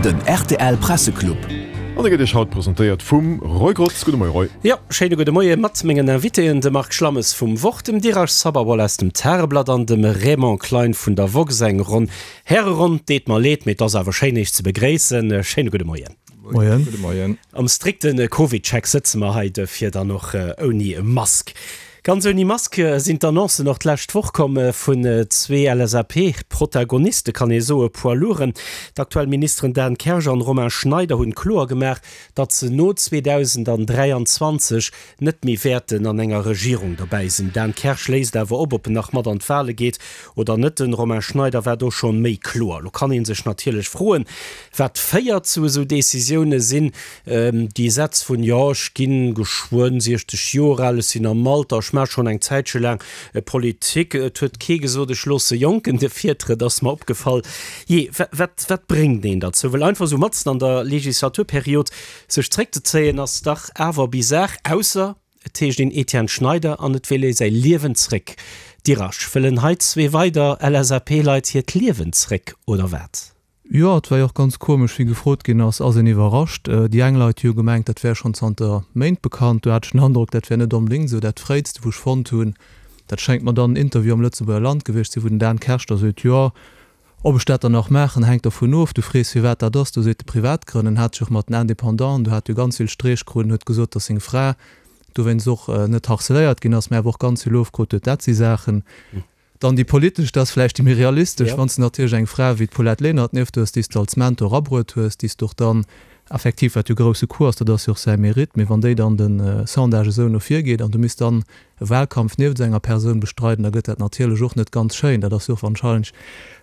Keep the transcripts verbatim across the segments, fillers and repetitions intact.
Den rtl Presseclub. An e gëtt Iech haut presentéiert vum Roy Grotz. Gudde Moie Roy. Jo, schéine gudde Moie mat mengen Invitéen, dem Marc Schlammes vum Wort, dem Diraj Sabharwal aus dem Tageblatt an dem Raymond Klein vun der woxx. Eng Ronn Häreronn, deet mer leed, mee et ass awer schéin Iech ze begréissen. Schéine gudde Moien. Moien. Gudde Moien. Am strikte Covid-Check sëtze mer hei, duerfir dann och ouni Mask. Ganz ouni Mask sinn d'Annoncen och d'lescht Woch komm vun zwee LSAP-Protagoniste, kann ee soen, Poids lourden. D'aktuell Ministeren Dan Kersch an Romain Schneider hunn kloer gemaach, datt se no zweedausendandräianzwanzeg net méi wäerten an enger Regierung dobäi sinn. Dan Kersch léisst awer op, ob en nach mat an d'Wale geet oder net. Den Romain Schneider war do schonn méi kloer. Lo kann ee sech natierlech froen, wat féiert zu esou Decisioune sinn. Déi Sätz vun, jo ech ginn geschwënn siechzeg Joer al, ech sinn am Alter, ech maache schonn eng Zäitche laang Politik, et huet kee gesot, ech loosse Jonken de Virtrëtt, ass mer opgefall. Jee, wat, wat bréngt een derzou? Well einfach esou matzen an der Legislaturperiod sech zréckzezéien, ass dach awer bizar, ausser et heescht een Etienne Schneider an et wéll ee säi Liewen zréck. Dirasch, wëllen hei zwee weider LSAP-Leit hiert Liewen zréck, oder wat? Jo, et war jo och ganz komesch, wéi gefrot ginn ass, ass een iwwerrascht? Déi eng Leit hu jo gemengt, dat wär schonn zanter Méint bekannt. Do hat ech den Androck, dat wär net onbedéngt esou. Dat Fréitste, wou ech fonnt hunn, dat schéngt mer dann en Interview am Lëtzebuerger Land gewiescht ze sinn, wou den Dan Kersch da sot, jo, ob ech dat dann nach maachen, hänkt dervun of. Du frees, firwat dat ass. Do seet e Privatgrënn. En hat sech och mat den Indépendanten, do hat jo ganz vill Streech krut en huet gesot, datt seng Fra dowéinst och net harceléiert ginn ass, mä awer och ganz vill ofkrut huet. Dat si Saachen. Dann déi politesch, dat ass vläicht déi méi realistesch, wann s de natierlech eng Fra wéi d'Paulette Lenert nieft hues, déi s de als Mentor erabruet hues, déi s de och dann effektiv, wat jo grousse Coup ass, dat ass jo och säi Mérite, mee wann déi dann de Sondage esou no vir geet an du misst dann e Wahlkampf nieft esou enger Persoun bestreiden, da gëtt dat natierlech och net ganz schéin. Dat ass jo och warscheinlech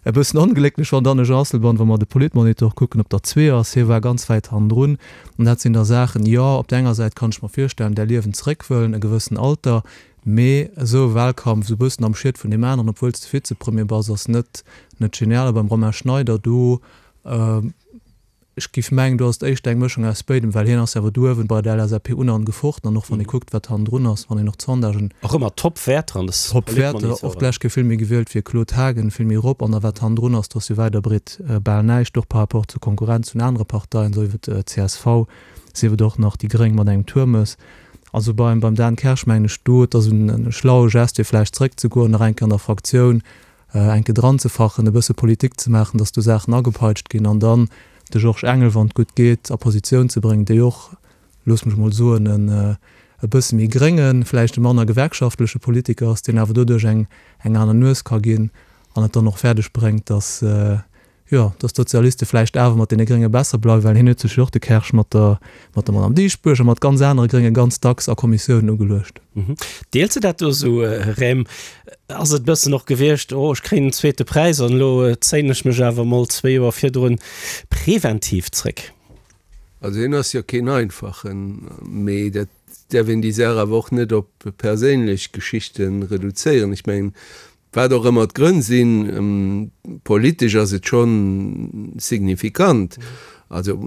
e bëssen onglécklech, wann dann e Jean Asselborn, wa mer de Politmonitor kucken, op der Zwee ass. Hie war ganz wäit hannendrun. An dat sinn da Saachen, jo, op der enger Säit kann ech mer virstellen, där Liewen zeréck wëllen, e gewëssen Alter, mee esou e Wahlkampf esou e bëssen am Schiet vun deem aneren, obwuel s de Vizepremier bass, ass net net genial. A beim Romain Schneider do, ech géif mengen, do ass et éischter eng Mëschung aus béidem, well hien ass jo awer do uewen bei der LSAP un an gefochten an och wann ee kuckt, wat hannendrun ass, wann een och d'Sondagen. Och ëmmer Top-Wäerter an de Top-Wäerter, och d'lescht Kéier vill méi gewielt wéi Claude Haagen, vill méi erop an da wat hannendrun ass, do ass jo wäit a breet bal näischt, och par rapport zur Konkurrenz vun anere Parteien, sief et csv, sief et och nach déi Gréng mat engem Turmes. Also beim beim Dan Kersch mengen ech do, et ass en schlaue Gest fir vläicht zréckzegoen, nach eng Kéier an der Fraktioun eng Kéier dranzefachen, e bësse Politik ze maachen, datt do Saachen agepeitscht ginn an dann de Georges Engel, wann et gutt geet, a Positioun ze bréngen, déi och, looss mech emol soen, en e bësse méi gréngen, vläicht e manner gewerkschaftleche Politiker ass, deen awer doduerch eng eng aner Nues ka ginn an et dann och fäerdeg bréngt, datt jo, datt d'Sozialiste vläicht awer mat deene Grénge besser bleiwen, well hien huet sech jo och, de Kersch, mat der, mat der Madame Dieschbourg a mat ganz anere Grénge ganz dacks a Kommissiounen ugeluecht. Deels de dat do esou, Rem? Ass et e bëssen och gewiescht, oh ech kréien den zweete Präis an elo zéien ech mech awer mol zwee Joer virdrun preventiv zréck? Also hien ass jo keen Einfachen, mee dat däerf een déi Saach awer och net op perséinlech Geschichte reduzéieren. Ech mengen, Wat och ëmmer d'Grënn sinn, politesch ass et scho signifikant. Also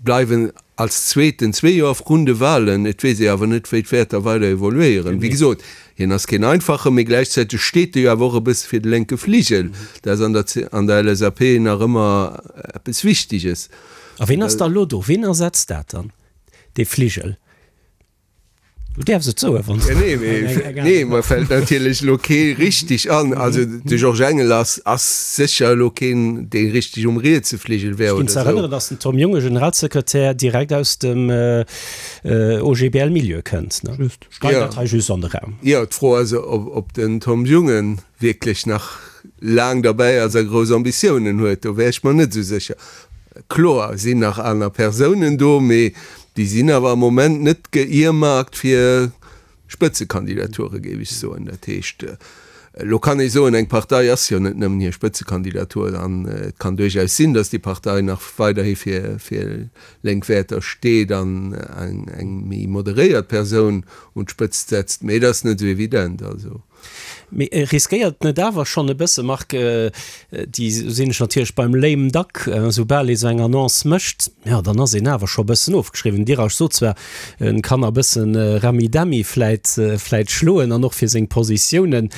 bleiwen als Zweeten zwee Joer vrun de Wahlen. Et weess ee awer net, wéi d'Wäerter weider evoluéieren. Wéi gesot, hien ass keen Einfachen, mee gläichzäiteg steet e jo awer och e bësse fir de lénke Fligel. Dat ass an der an der LSAP nach ëmmer eppes Wichteges. A ween ass da elo do? Ween ersetzt dat dann, dee Fligel? Du däerfs et soen, wann s de. Nee, mee, nee, mer fält natierlech elo kee richtig an. Also de Georges Engel ass, ass sécher elo keen, dee richtig um rietse Fligel wär Ech ginn oder ze esou. erënneren, datt den Tom Jungen, Generalsekretär, direkt aus dem O G B L-Milieu kënnt, ne? Just. Ech geien Jo. dat hei just an de Raum. Jo, d'Fro ass, ob, ob den Tom Jungen wierklech nach laang derbäi ass a grouss Ambitiounen huet. Do wär ech mer net esou sécher. Kloer sinn nach aner Persounen do, mee déi sinn awer am Moment net ge-earmarkt fir Spëtzekandidature, géif ech soen. Dat heescht, elo kann ee soen, eng Partei ass jo net nëmmen hir Spëtzekandidatur an et kann duerchaus sinn, datt déi Partei nach weiderhi fir fir lénk Wäerter steet an eng méi moderéiert Persoun un d'Spëtzt setzt, mee et ass net esou evident. Also. Mee riskéiert et net awer schonn e bësse, Marc, déi sinn ech natierlech beim lame duck, soubal ee sou eng Annonce mécht, jo dann ass een awer scho e bëssen ofgeschriwwen. Dirac sot zwar, en kann a bëssen Rami-Dami vläit vläit schloen an och fir seng Positiounen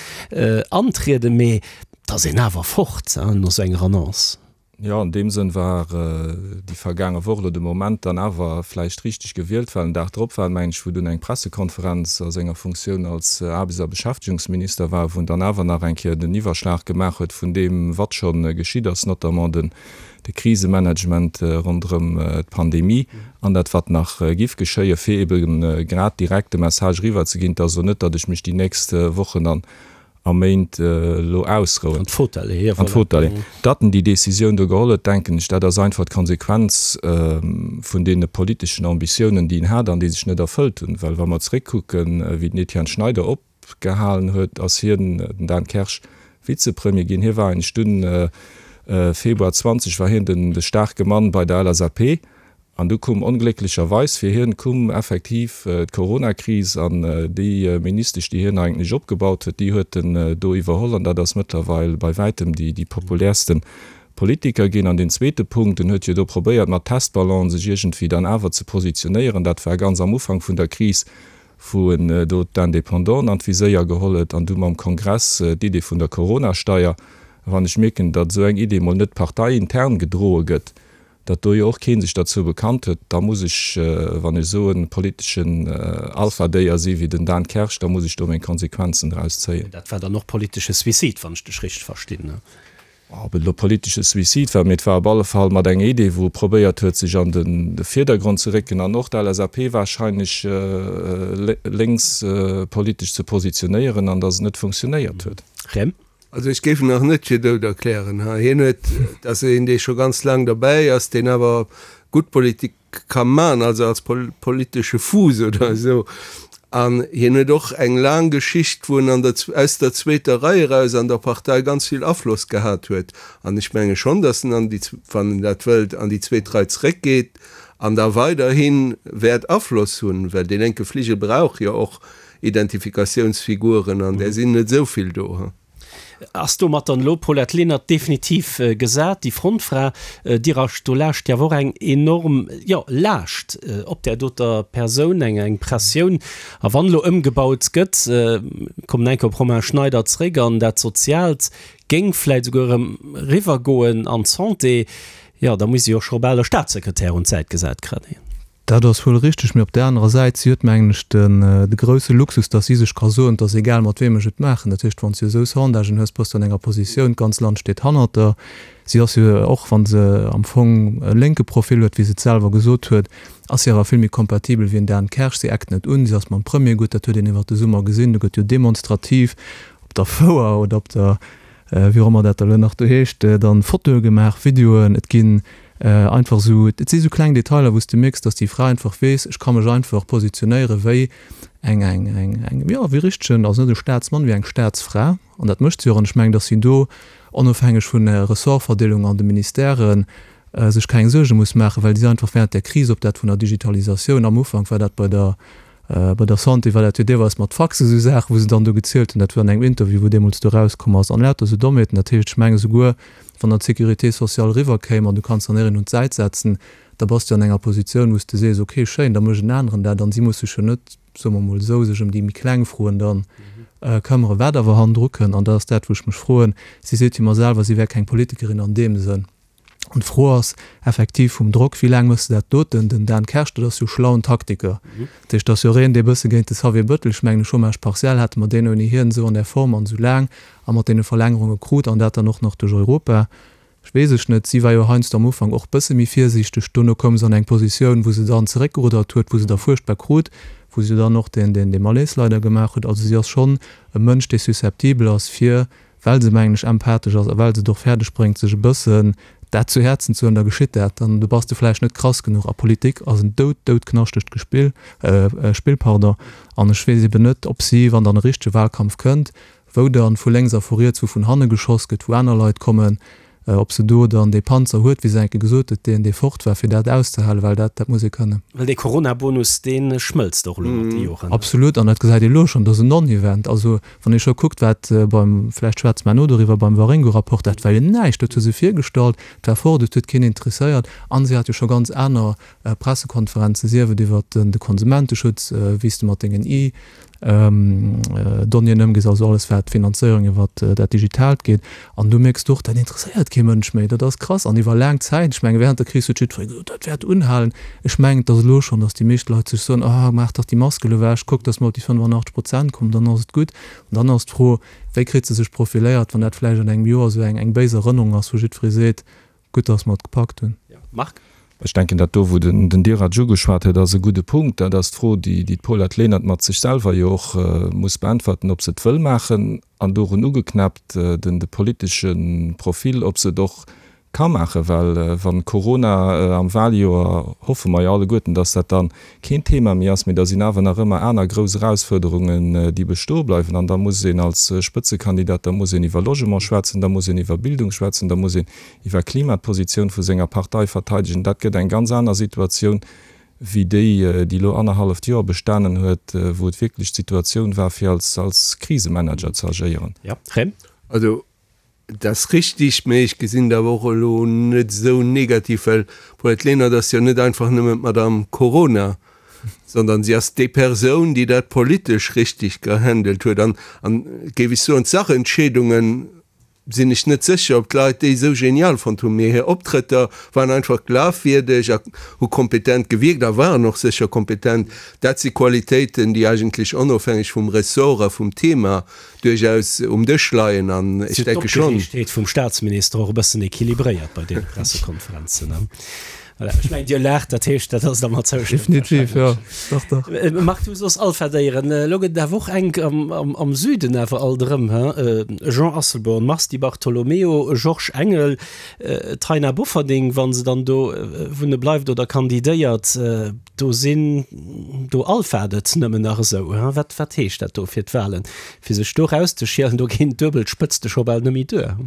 antrieden, mee et ass een awer fort no sou enger Annonce. Jo, an deem Sënn war déi vergaange Woch elo de Moment dann awer vläicht richteg gewielt, well den Dag drop war et, mengen ech, wou dunn eng Pressekonferenz a senger Funktioun als Aarbechts a Beschäftegungsminister war, wou en dann awer nach eng Kéier den Iwwerschlag gemaach huet vun deem, wat scho geschitt ass, notamment den de Krisemanagement ronderëm d'Pandemie an dat, wat nach giff geschéien, fir ebe grad direkt de Message eriwwerzeginn, et ass elo net, datt ech mech déi nächst Wochen an a Méint elo ausrouen. An d'Fauteuil leeën, An d'Fauteuil leeën. Datt en déi Décisioun do geholl huet, denken ech, dat ass einfach d'Konsequenz vun deene politeschen Ambitiounen, déi en hat an déi sech net erfëllt hunn. Well wa mer zréckkucken, wéi den Etienne Schneider opgehalen huet, ass hien, den Dan Kersch, Vizepremier ginn. Hie war eigentlech dunn, Februar zwanzeg war hien den de staarke Mann bei der L S A P. An du koum onglécklecherweis fir hien koum effektiv d'Coronakris an déi Ministesch, déi hien eigentlech opgebaut huet, déi huet en do iwwerholl an dat ass mëttlerweil bei wäitem déi déi populärste Politiker ginn. An deen zweete Punkt, en huet jo do probéiert mat Testballon sech iergendwéi dann awer ze positionéieren. Dat war ganz am Ufank vun der Kris, wou en do d'Indépendanten an d'Viséier geholl huet an du mam Kongress d'Idee vun der Coronasteier. A wann ech mierken, datt esou eng Idee mol net parteiintern gedroe gëtt, datt do jo och kee sech derzou bekannt huet, da muss ech, wann ech esou e politeschen Alphadéier si wéi den Dan Kersch, da muss ech do meng Konsequenzen draus zéien. Dat war dann och politesche Suicide, wann ech dech richteg verstinn, ne? Ob et elo politesche Suicide war, mee et war op alle Fall mat enger Idee, wou e probéiert huet, sech an de Virdergrond ze récken an och d'L S A P warscheinlech lénks politesch ze positionéieren, an datt et net funktionéiert huet. Rem. Also ech géif en nach net fir dout erklären. Hien huet, dat ass een, dee scho ganz laang derbäi ass, deen awer gutt Politik ka man, also als politesche Fuuss oder esou. An hien huet och eng laang Geschicht, wou en an der, aus der zweeter Rei eraus an der Partei ganz vill Afloss gehat huet. An ech menge schonn, datt en an déi, wann en dat wëllt, an déi zweet Rei zréckgeet an da weiderhi wäert Afloss hunn, well dee lénke Fligel brauch jo och Identifikatiounsfiguren an där sinn net esou vill do. Ass domat dann elo d'Paulette Lenert definitiv gesat, déi Frontfra? Dirasch, do laascht jo awer och eng enorm, jo, Laascht op där doter Persoun, eng eng Pressioun. A wann elo ëmgebaut gëtt, kommen eng Kéier op Romain Schneider zréck, an dat Soziaalt géing vläicht esouguer erëm eriwwergoen an d'Santé, jo, da muss si och scho bal e Staatssekretär un d'Säit gesat kréien. Dat ass wuel richteg, mee op där anerer Säit, si huet, mengen ech, den, de grousse Luxus, datt si sech ka soen, et ass egal, mat weem ech et maachen. Dat heescht, wann s du esou Sondagen hues, bass du an enger Positioun, d'ganz Land steet hannert der. Si ass jo, och wa se am Fong e lénke Profil huet, wéi se et selwer gesot huet, ass si awer vill méi kompatibel wéi en Dan Kersch. Si eckt net un, si ass mam Premier gutt, dat huet een iwwert de Summer gesinn, do gëtt jo demonstrativ op der Fouer oder op der, wéi och ëmmer dat elo nach do heescht, dann Fotoe gemaach, Videoen, et ginn einfach esou, et si sou kleng Detailer, wou s de mierks, dass déi Fra einfach weess, ech ka mech einfach positionéiere wéi eng, eng, eng, eng, jo, wéi richtegen, also net e Staatsmann, wéi eng Staatsfra. An dat mécht si och. An ech mengen, dass si do, onofhängeg vun der Ressortverdeelung an de Ministèren, sech keng Suerge muss maachen, well si einfach während der Kris, ob dat vun der Digitalisatioun, am Ufank war dat bei der, Bei der Santé war dat jo deelweis mat Faxe esou Saachen, wou se dann do gezielt hunn. Dat war an engem Interview, wou deemools do erauskomm ass. An lauter esou Dommheeten. Dat heescht, ech menge souguer, wann dann d'Sécurité sociale eriwwerkéim an du kanns dann een un d'Säit setzen, da bass du an enger Positioun, wou s de sees, okay, schéin, da mécht en aneren dat. An si muss sech jo net, soe mer emol esou, sech ëm déi méi kleng Froen dann këmmere. Wat awer hannendru kënn, an dat ass dat, wou ech mech froen, si seet jo ëmmer selwer, si wär keng Politikerin an deem Sënn. An d'Fro ass effektiv vum Drock, wéi laang méchs de dat doten? Den Dan Kersch, dat ass jo schlauen Taktiker. Dat heescht, dat ass jo och een, dee bësse géint de Xavier Bettel, ech mengen de Chômage partiel hate mer deen ouni hien esou an där Form an esou laang a mat deene Verlängerunge krut an dat dann och nach duerch Europa. Ech weess ech net, si war jo heiansdo am Ufank och bësse méi virsiichteg, dono koum se an eng Positioun, wou se dann zeréckgeruddert huet, wou se da fuerchtbar krut, wou se jo dann och deen, deen, dee Malaise leider gemaach huet. Also si ass schonn e Mënsch, dee susceptibel ass fir well se, mengen ech, empathesch ass a well se et och fäerdeg bréngt, sech e bëssen dat zu Häerzen ze huelen, da geschitt dat. Dann do bass de vläicht net krass genuch. A Politik ass en doud, doudknaschtegt Gespill, Spill, pardon. An ech weess eben net, ob si, wann dann e richtege Wahlkampf kënnt, wou dann vu lénks a vu riets, wou vun hanne geschoss gëtt, wou aner Leit kommen, ob se do dann dee Panzer huet, wéi se enke gesot huet, deen, dee fort war, fir dat auszehalen, well dat, dat muss ee kënnen. Well dee Coronabonus, dee schmëlzt och elo mat de Joren. Absolut, an dat gesäit ee elo schonn, dat ass en Non-Event. Also wann ee scho kuckt, wat beim, vläicht schwätze mer herno doriwwer, beim Waringo-Rapport, dat war jo näischt, dat hu se virgestallt, et war fort, et huet keen interesséiert. A si hat jo scho ganz aner Pressekonferenzen, sief et iwwert de Konsumenteschutz, wéi s de mat dengen Donnéeën ëmgees, also alles wat d'Finanzéierung iwwer dat Digitaalt geet. An du mierks och, dat interesséiert kee Mënsch méi. Dat ass krass. An iwwer laang Zäit, ech menge während der Kris huet jiddweree gesot, dat wäert unhalen. Ech mengen, et ass elo schonn, datt déi meescht Leit sech soen, ah maach dach déi Mask elo ewech, kuck, datt mer op déi fënnefannachtzeg Prozent kommen, dann ass et gutt. An dann ass d'Fro, wéi kritt se sech profiléiert, wann dat vläicht an engem Joer esou eng béis Erënnerung ass, wou jiddweree seet, gutt, datt mer et gepackt hunn. Marc? Ech denken, dat do, wou den Dirac ugeschwat huet, ass e gudde Punkt. Dat ass d'Fro, déi d'Paulette Lenert mat sech selwer jo och muss beäntwerten, ob se et wëll maachen, an dorun ugeknäppt den de politesche Profil, ob se et och ka maachen. Well wann Corona am Wahljoer, hoffe mer jo alleguerten, datt dat dann keen Thema méi ass, mee da sinn awer nach ëmmer aner grouss Erausfuerderungen, déi bestoe bleiwen. An da muss een als Spëtzekandidat, da muss een iwwer Logement schwätzen, da muss een iwwer Bildung schwätzen, da muss een iwwer Klima d'Positioun vu senger Partei verteidegen. Dat gëtt eng ganz aner Situatioun wéi déi, déi elo annerhalleft Joer bestanen huet, wou et wierklech d'Situatioun war, fir als als Krisemanager ze agéieren. Jo, Rem? Also, et ass richtig, mee ech gesinn et awer och elo net esou negativ, well d'Paulette Lenert ass jo net einfach nëmmen d'Madame Corona, sondern si ass déi Persoun, déi dat politesch richtig gehandelt huet. An, an géif ech soen, d'Sachentscheedungen sinn ech net sécher, ob d'Leit déi esou genial fonnt hunn, mee hir Optrëtter waren einfach glafwierdeg a hu kompetent gewierkt a waren och sécher kompetent. Dat si Qualitéiten, déi eigentlech onofhängeg vum Ressort a vum Thema duerchaus um Dësch leien an ech Si huet denke schonn. d'Opgereegtheet vum Staatsminister och e bëssen equilibréiert bei deene Pressekonferenzen. Voilà, ech mengen, Dir laacht, dat heescht, dat ass der mat zoustëmmt Definitiv, jo. Dach, dach. Marc, du soss Alpha-Déieren. Elo gëtt et awer och enk am Süden awer alt erëm, he? Jean Asselborn, Mars Di Bartolomeo, Georges Engel, Taina Bofferding, wa se dann do wunne bleift oder kandidéiert, do sinn, do alphat et nëmmen nach esou, he? Wat, wat heescht dat do fir d'Wahlen? Fir sech do erauszeschielen, do ginn d'duebel Spëtzte scho bal net méi duer.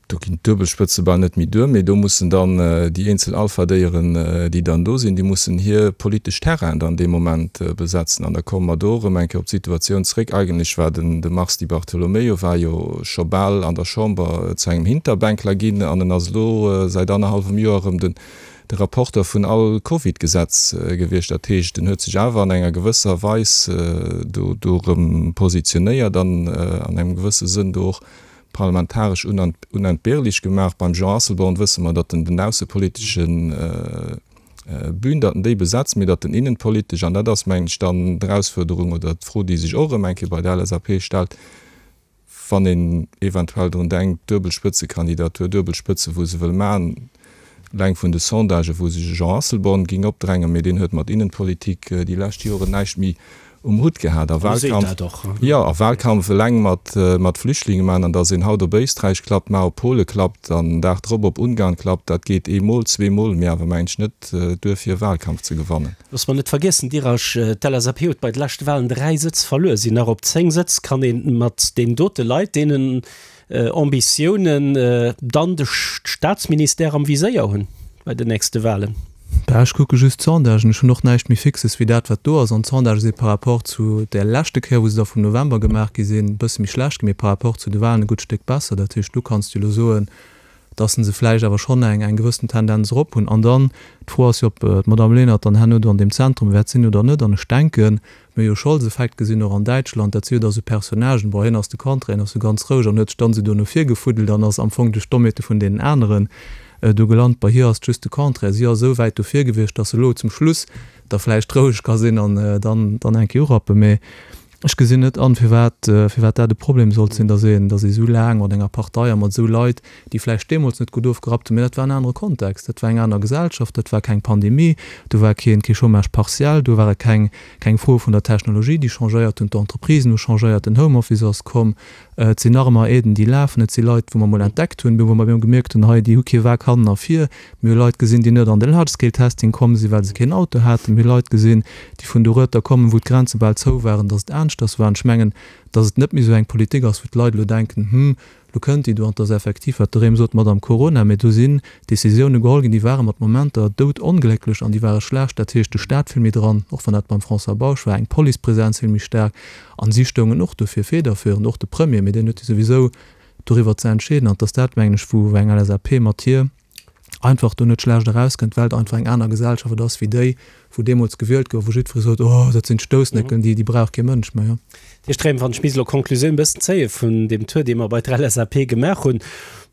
Do ginn d'Duebelspëtze bal net méi duer, mee do mussen dann déi eenzel Alphadéieren, déi dann do sinn, déi mussen hir politesch Terrainen dann dee Moment besetzen. An da komme mer do erëm eng Kéier op d'Situatioun zréck. Eigentlech war den de Mars Di Bartolomeo war jo scho bal an der Chamber zu engem Hinterbänkler ginn an en ass elo säit annerhallwem Joer erëm den de Rapporteur vun all Covid-Gesetz gewiescht. Dat heescht, en huet sech awer an enger gewësser Weis do do erëm positionéiert an an engem gewësse Sënn do och parlamentaresch unentbehrlich gemaach. Beim Jean Asselborn wësse mer, datt en den aussepolitesche Bühn, datt en déi besetzt, mee datt en innenpolitesch, an dat ass, mengen ech, dann d'Erausfuerderung oder d'Fro, déi sech och erëm eng Kéier bei der L S A P stellt, wann een eventuell drun denkt, duebel Spëtzekandidatur, duebel Spëtze wou se wëll maachen, eleng vun de Sondagen, wou sech e Jean Asselborn ging opdrängen, mee deen huet mat Innenpolitik déi lescht Joren näischt méi um Hutt gehat. A Wahlkampf, jo, a Wahlkampf eleng mat, mat Flüchtlinge maachen, an datt een haut op Éisträich klappt, mar op Pole klappt an den Dag drop op Ungarn klappt, dat geet eemol, zweemol, mee awer mengen ech net duer fir e Wahlkampf ze gewannen. Loosse mer net vergiessen, Dirasch, d'L S A P huet bei de leschte Wahlen dräi Sëtz verluer, sinn nach op zéng Sëtz. Kann ee mat deenen dote Leit, deenen Ambitiounen dann de Staatsministère am Viséier hunn bei den nächste Wahlen? Bah, ech kucke just d'Sondagen. Ech hunn och näischt méi Fixes wéi dat, wat do ass. An d'Sondagë si par rapport zu där leschte Kéier, wou se da vum November gemaach gi sinn, e bësse méi schlecht ginn, mee par rapport zu de Wahlen e gutt Stéck besser. Dat heescht, do kanns du elo soen, dass se vläicht awer schonn eng eng gewëssen Tendenz erop hunn. An dann, d'Fro ass jo, ob d'Madame Lenert dann herno do an deem Zentrum wäert sinn oder net. An ech denken, mir hu jo Scholz-Effekt gesinn, och an Däitschland, dat si jo da sou Personnagen, bon, hien ass de Contraire, hien ass sou ganz roueg an huet sech dann esou do no vir gefuddelt an ass am Fong duerch d'Dommheete vun deenen aneren do gelant. Bei hir ass et just de Contraire, si ass esou wäit do vir gewiescht, dass se elo zum Schluss da vläicht roueg ka sinn an dann dann eng Kéier urappen. Mee ech gesinn net an, firwat firwat dat e Problem sollt sinn, dass een dass ee esou laang mat enger Partei a mat esou Leit, déi vläicht deemools net gutt ofgerappt hunn, mee dat war en anere Kontext, dat war eng aner Gesellschaft, dat war keng Pandemie, do war keen kee Chômage partiel, do ware keng keng Froe vun der Technologie, déi changéiert hunn, d'Entreprisen hu changéiert, den Homeoffice ass komm, Et sinn nach ëmmer Aiden, déi lafen. Et si Leit, wou mer emol entdeckt hunn, wou mer gemierkt hunn, hei, déi hu kee Wak hannen a vir. Mir hu Leit gesinn, déi net an de Large-Scale-Testing komm sinn, well se keen Auto haten. Mir hu Leit gesinn, déi vun dorueter kommen, wou d'Grenze bal zou waren, dass et aneschters war. An ech mengen, dass et net méi esou eng Politik ass, wou d'Leit elo denken, Hm, Lo kënnt déi do, an et ass effektiv, wat de Rem sot, Madame Corona, mä do sinn Décisioune geholl ginn, déi ware mat Momenter doudonglécklech an déi ware schlecht. Dat heescht, de Staat vill méi dran, och wann dat beim François Bausch war, eng Policepresenz vill méi staark. An si stoungen och dofir federführend, och de Premier, mä deen huet jo souwisou doriwwer ze entscheeden. An et ass dat, mengen ech, wou eng L S A P mat hir einfach do net schlecht erauskënnt, well et einfach eng aner Gesellschaft ass wéi déi, wou deemools gewielt gouf, wou jiddweree sot, oh, dat sinn d'Stoussnécken, déi, déi brauch kee Mënsch méi. Här Strem, wann ech misst elo d'Konklusioun e bëssen zéie vun deem Tour, dee mer bei der LSAP gemaach hunn,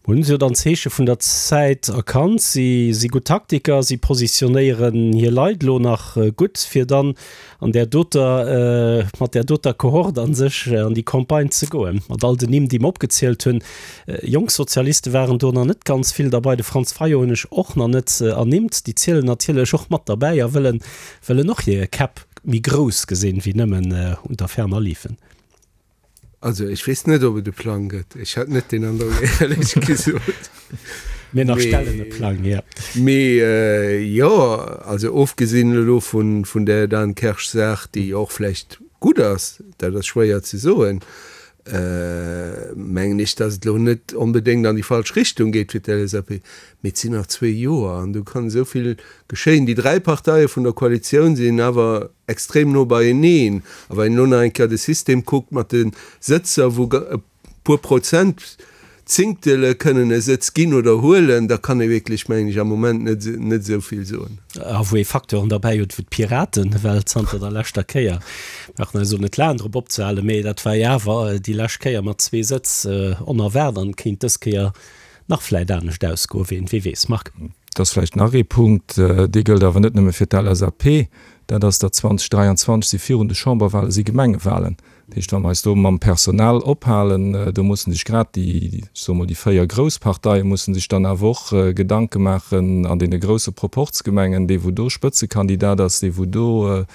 hunn se jo dann d'Zeeche vun der Zäit erkannt, si si gutt Taktiker, si positionéieren hir Leit elo nach gutt, fir dann an där doter, mat där doter Kohort a sech an déi Campagne ze goen, mat all den Nimm, déi mer opgezielt hunn. Jonk Sozialiste waren do nach net ganz vill derbei. De Franz Fayot hunn ech och nach net ernimmt. Déi zielen natierlech och mat derbäi a wëllen, wëllen och hir Käpp méi grouss gesinn, wéi nëmmen unter ferner liefen. Also ech weess net, ob et e Plang gëtt. Ech hat net den Androck, éierlech gesot. Mir nach stellen e Plang, jo. Mee jo, also ofgesinn elo vun där Dan Kersch-Saach, déi jo och vläicht gutt ass, dat ass schwéier ze soen, mengen ech, datt et elo net onbedéngt an déi falsch Richtung geet fir d'LSAP. Mee et sinn nach zwee Joer an do kann esou vill geschéien. Déi dräi Parteie vun der Koalitioun sinn awer extrem no beieneen. A wann een elo nach eng Kéier de System kuckt mat de Sëtzer, wou e puer Prozent Zéngtele kënnen e Sëtz ginn oder huelen, da kann ee wierklech, mengen ech, am Moment net net esou vill soen. A wou ee Facteuren derbäi huet, wou d'Piraten, well zanter der leschter Kéier, brauchen eis elo net laang drop opzehalen, mee dat war jo awer déi lescht Kéier mat zwee Sëtz onerwaart an kéint dës Kéier nach vläit anescht ausgoen, ween wee weess. Marc. Et ass vläicht nach ee Punkt, dee gëllt awer net nëmme fir d'LSAP, dat ass, datt zweitausenddräiandzwanzeg si virun de Chamberwahlen si Gemengewahlen. Dat heescht, wa mer eis do mam Personal ophalen, do mussen sech grad déi, ech soe mol, déi véier grouss Parteie mussen sech dann awer och Gedanke maachen an deene grousse Proporzgemengen, dee wou do Spëtzekandidat ass, dee wou do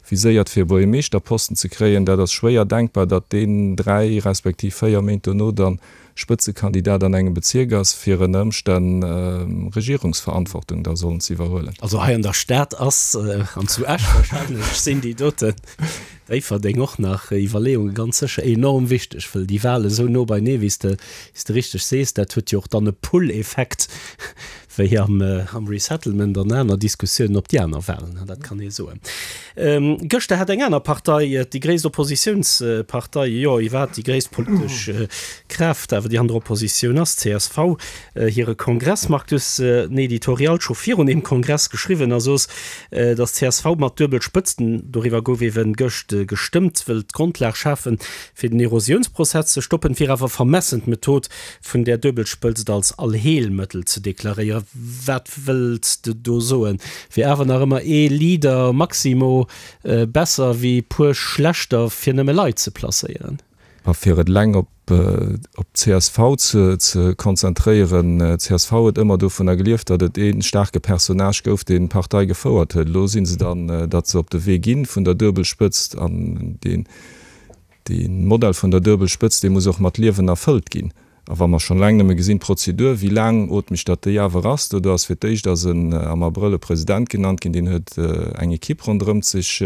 viséiert fir e Buergermeeschterposten ze kréien, dat ass schwéier denkbar, datt deen dräi respektiv véier Méint dono dann Spëtzekandidat an engem Bezierk ass, fir ënner Ëmstänn Regierungsverantwortung da sollen ze iwwerhuelen. Also hei an der Stad ass, an zu Esch wahrscheinlech, sinn déi doten, Déifferdeng och nach, Iwwerleeunge ganz sécher enorm wichteg, wëll déi Wahle esou no beinee, wéi s de, wéi s de richteg sees, dat huet jo och dann e Pull-Effekt, wéi am Resettlement an aner Diskussiounen op déi aner Wahlen, dat kann ee soen. Gëschter hat eng aner Partei, déi gréisst Oppositiounspartei, jo iwwerhaapt déi gréisst politesch Kraaft awer, déi an der Oppositioun ass, csv, hire Kongress. Marc, du hues en Editorial scho virun deem Kongress geschriwwen a soos, datt csv mat duebel Spëtzten, doriwwer gouf eeben gëscht gestëmmt, wëll d'Grondlag schafen, fir den Erosiounsprozess ze stoppen, wier awer vermessen, d'Method vun där Duebelspëtzt als Allheelmëttel ze deklaréieren. Wat wëlls de do soen? Wier awer nach ëmmer ee Leader maximo besser wéi puer schlechter fir nëmme Leit ze placéieren? A fir et eleng op op csv ze ze konzentréieren, csv huet ëmmer dovunner gelieft, datt et ee staarke Personnage gouf, deen d'Partei gefouert huet. Elo si se dann, datt se op de Wee gi vun der Duebelspëtzt an deen Dee Modell vun der Duebelspëtzt, dee muss och mat Liewen erfëllt ginn. A wa mer schonn eleng nëmme gesinn, d'Prozedur, wéi laangootmeg datt déi awer ass, do do ass fir d'éischt ass en am Abrëll e President genannt ginn, deen huet eng Equipe ronderëmt sech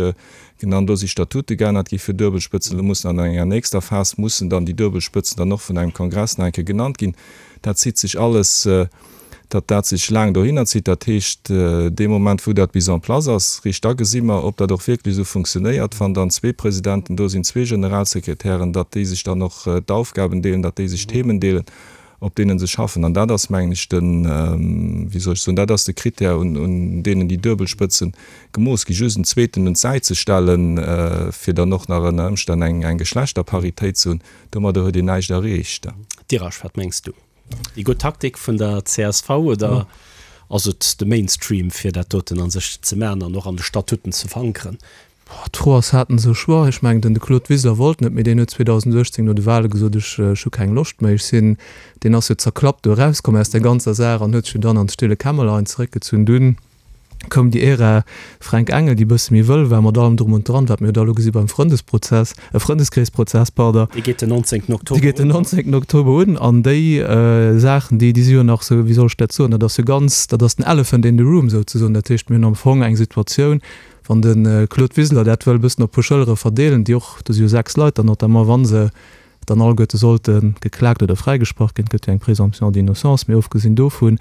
genannt, do si Statute geännert gi fir Duebelspëtzen, elo mussen an enger nächster Phas mussen dann déi Duebelspëtzen dann och vun engem Kongress nach eng Kéier genannt ginn. Dat zitt sech alles. Datt dat sech laang dohinner zitt, dat heescht, dee Moment, wou dat bis en place ass, riicht da gesi mer, ob dat och wierklech esou funktionéiert, wann dann zwee Presidenten do sinn, zwee Generalsekretären, datt déi sech dann och d'Aufgaben deelen, datt déi sech d'Themen deelen, op deene se schaffen. An dat ass, mengen ech, den, wéi soll ech soen, dat ass de Critère, un, un deenen déi Duebelspëtzen gemooss ginn. Just en zweeten un d'Säit ze stellen, fir dann och nach ënner Ëmstänn eng, eng Geschlechterparitéit ze hunn, domadder huet een näischt erreecht. Dirasch, wat mengs du? Déi gutt Taktik vun der csv oder ass et de Mainstream fir dat doten a sech ze maachen an och an de Statuten ze verankeren? D'Fro ass, haten se e Choix? Ech mengen, den de Claude Wiseler wollt net méi. Deen huet zweedausenduechtzéng no de Wahle gesot, ech hu keng Loscht méi, ech sinn, deen ass jo zerklappt do erauskomm aus där ganzer Saach an huet sech jo dann an d'stille Kämmerlein zeréckgezunn. Dunn koum déi Ära Fränk Engel, déi e bësse méi wëll war, mat allem Drum und Dran, wat mir jo da elo gesi beim Frëndesprozess, äh, Frëndeskreesprozess, pardon. Dee geet den nonzéngten Oktober un. Dee geet den nonzéngten Oktober un. An déi Saachen, déi, déi si jo nach esou, wéi soll ech dat soen, dat ass jo ganz, dat ass den Elephant in the room souzesoen. Dat heescht, mir hunn am Fong eng Situatioun, wann de Claude Wiseler dat wëll e bëssen op puer Schëllere verdeelen, déi och, do si jo sechs Leit dann notamment, wa se dann alleguerte sollte geklagt oder fräigesprach ginn, et gëtt jo eng Présomption d'innocence, mee ofgesinn dovun,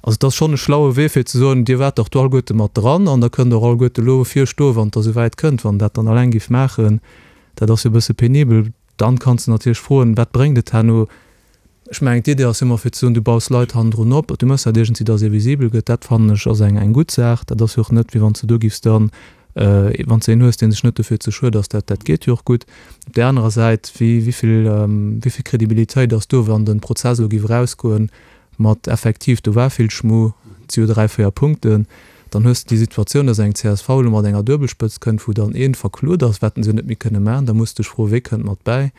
Also et ass schonn e schlaue Wee fir ze soen, Dir waart dach do alleguerte mat dran an da kënnt Der och alleguerte elo vir stoen, wann et da souwäit kënnt. Wann Der dat dann alleng giff maachen, dat ass jo e bësse penibel. Dann kanns de natierlech froen, Wat bréngt et herno? Ech mengen, d'Idee ass ëmmer fir ze soen, du baus Leit hannendrun op, du méchs dat iergendwéi, datt ee visibel gëtt. Dat fannen ech ass eng eng gutt Saach. Dat ass jo och net, wéi wann s de do giffs dann, wann s de een hues, dee sech net dofir ze schued ass, dat dat geet jo och gutt. Op där anerer Säit, wéi wéi vill wéi vill Kredibilitéit ass do, wann de Prozess elo giff erausgoen mat effektiv do war vill Schmu, et si jo dräi, véier Punkten, dann hues de déi Situatioun, datt eng csv elo mat enger Duebelspëtzt kënnt, wou dann ee verklot ass, wat en se jo net méi kënne maachen, da muss de dech froen, wee kënnt mat bäi.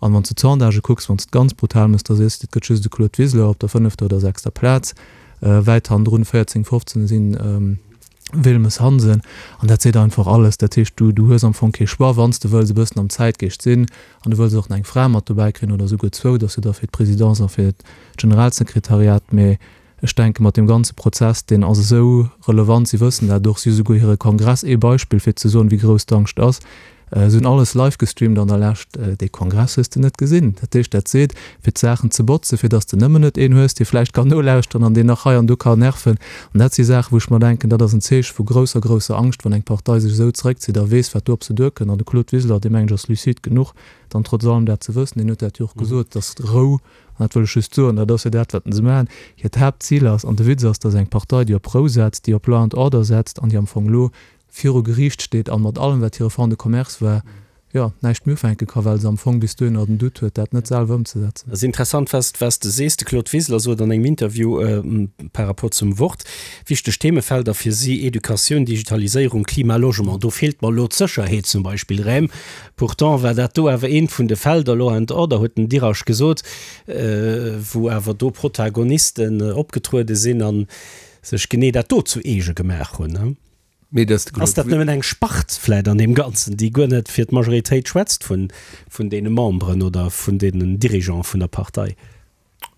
An wann s de d'Sondagë kucks, wann s de et ganz brutal mëss, da sees de, et gëtt just de Claude Wiseler op der fënnefter oder sechster Plaz, wäit hannendrun, véierzéng, fofzéng sinn Wilmes, Hansen. An dat seet einfach alles. Dat heescht, du, du hues am Fong kee Choix, wann s de wëlls e bëssen am Zäitgeescht sinn an du wëlls och nach eng Fra mat dobäi kréien oder esouguer zwou, dass du da fir d'Presidence a fir d'Generalsekretariat, mee Ech denke mat deem ganze Prozess, deen ass esou relevant, si wëssen dat och, si hu souguer hire Kongress, ee Beispill fir ze soen, wéi grouss d'Angscht ass, se hunn alles live gestreamt an der Lescht, dee Kongress hues de net gesinn. Dat heescht, dat seet, fir d'Saachen ze botzen, fir datt s de nëmmen net een hues, dee vläicht kann nolauschteren an deen nach hei an do kann nerven. An dat si Saachen, wou ech mer denken, dat ass en Zeeche vu grousser, grousser Angscht, wann eng Partei sech esou zeréckzitt a weess, wat do op se duerkënnt. An de Claude Wiseler, dee mengen ech ass lucide genuch, dann trotz allem dat ze wëssen, deen huet dat jo och gesot, datt Rou, An dat wëll ech just soen, dat ass jo dat, wat se maachen, hiert Haaptzil ass, an de Witz ass, dass eng Partei, déi op Rou setzt, déi op Law and Order setzt an déi am Fong elo viru Geriicht steet an mat allem, wat hire Fonds de commerce war, jo, näischt méi ufänke ka, well se am Fong bis dohinner den Doute huet, dat net selwer ëmzesetzen. Et ass interessant, wat s de sees. De Claude Wiseler sot an engem Interview par rapport zum Wort, wichteg Themefelder fir si, Educatioun, Digitaliséierung, Klima, Logement. Do feelt mer elo d'Sécherheet zum Beispill rém. Pourtant war dat do awer eent vun de Felder, Law and Order huet den Dirasch gesot, wou awer do Protagonisten opgetruede sinn a sech genee dat do zu eege gemaach hunn. Mee dass de Ass dat nëmmen eng Spart vläit an deem Ganzen, déi guer net fir d'Majoritéit schwätzt vun deene Memberen oder vun deenen Dirigeante vun der Partei?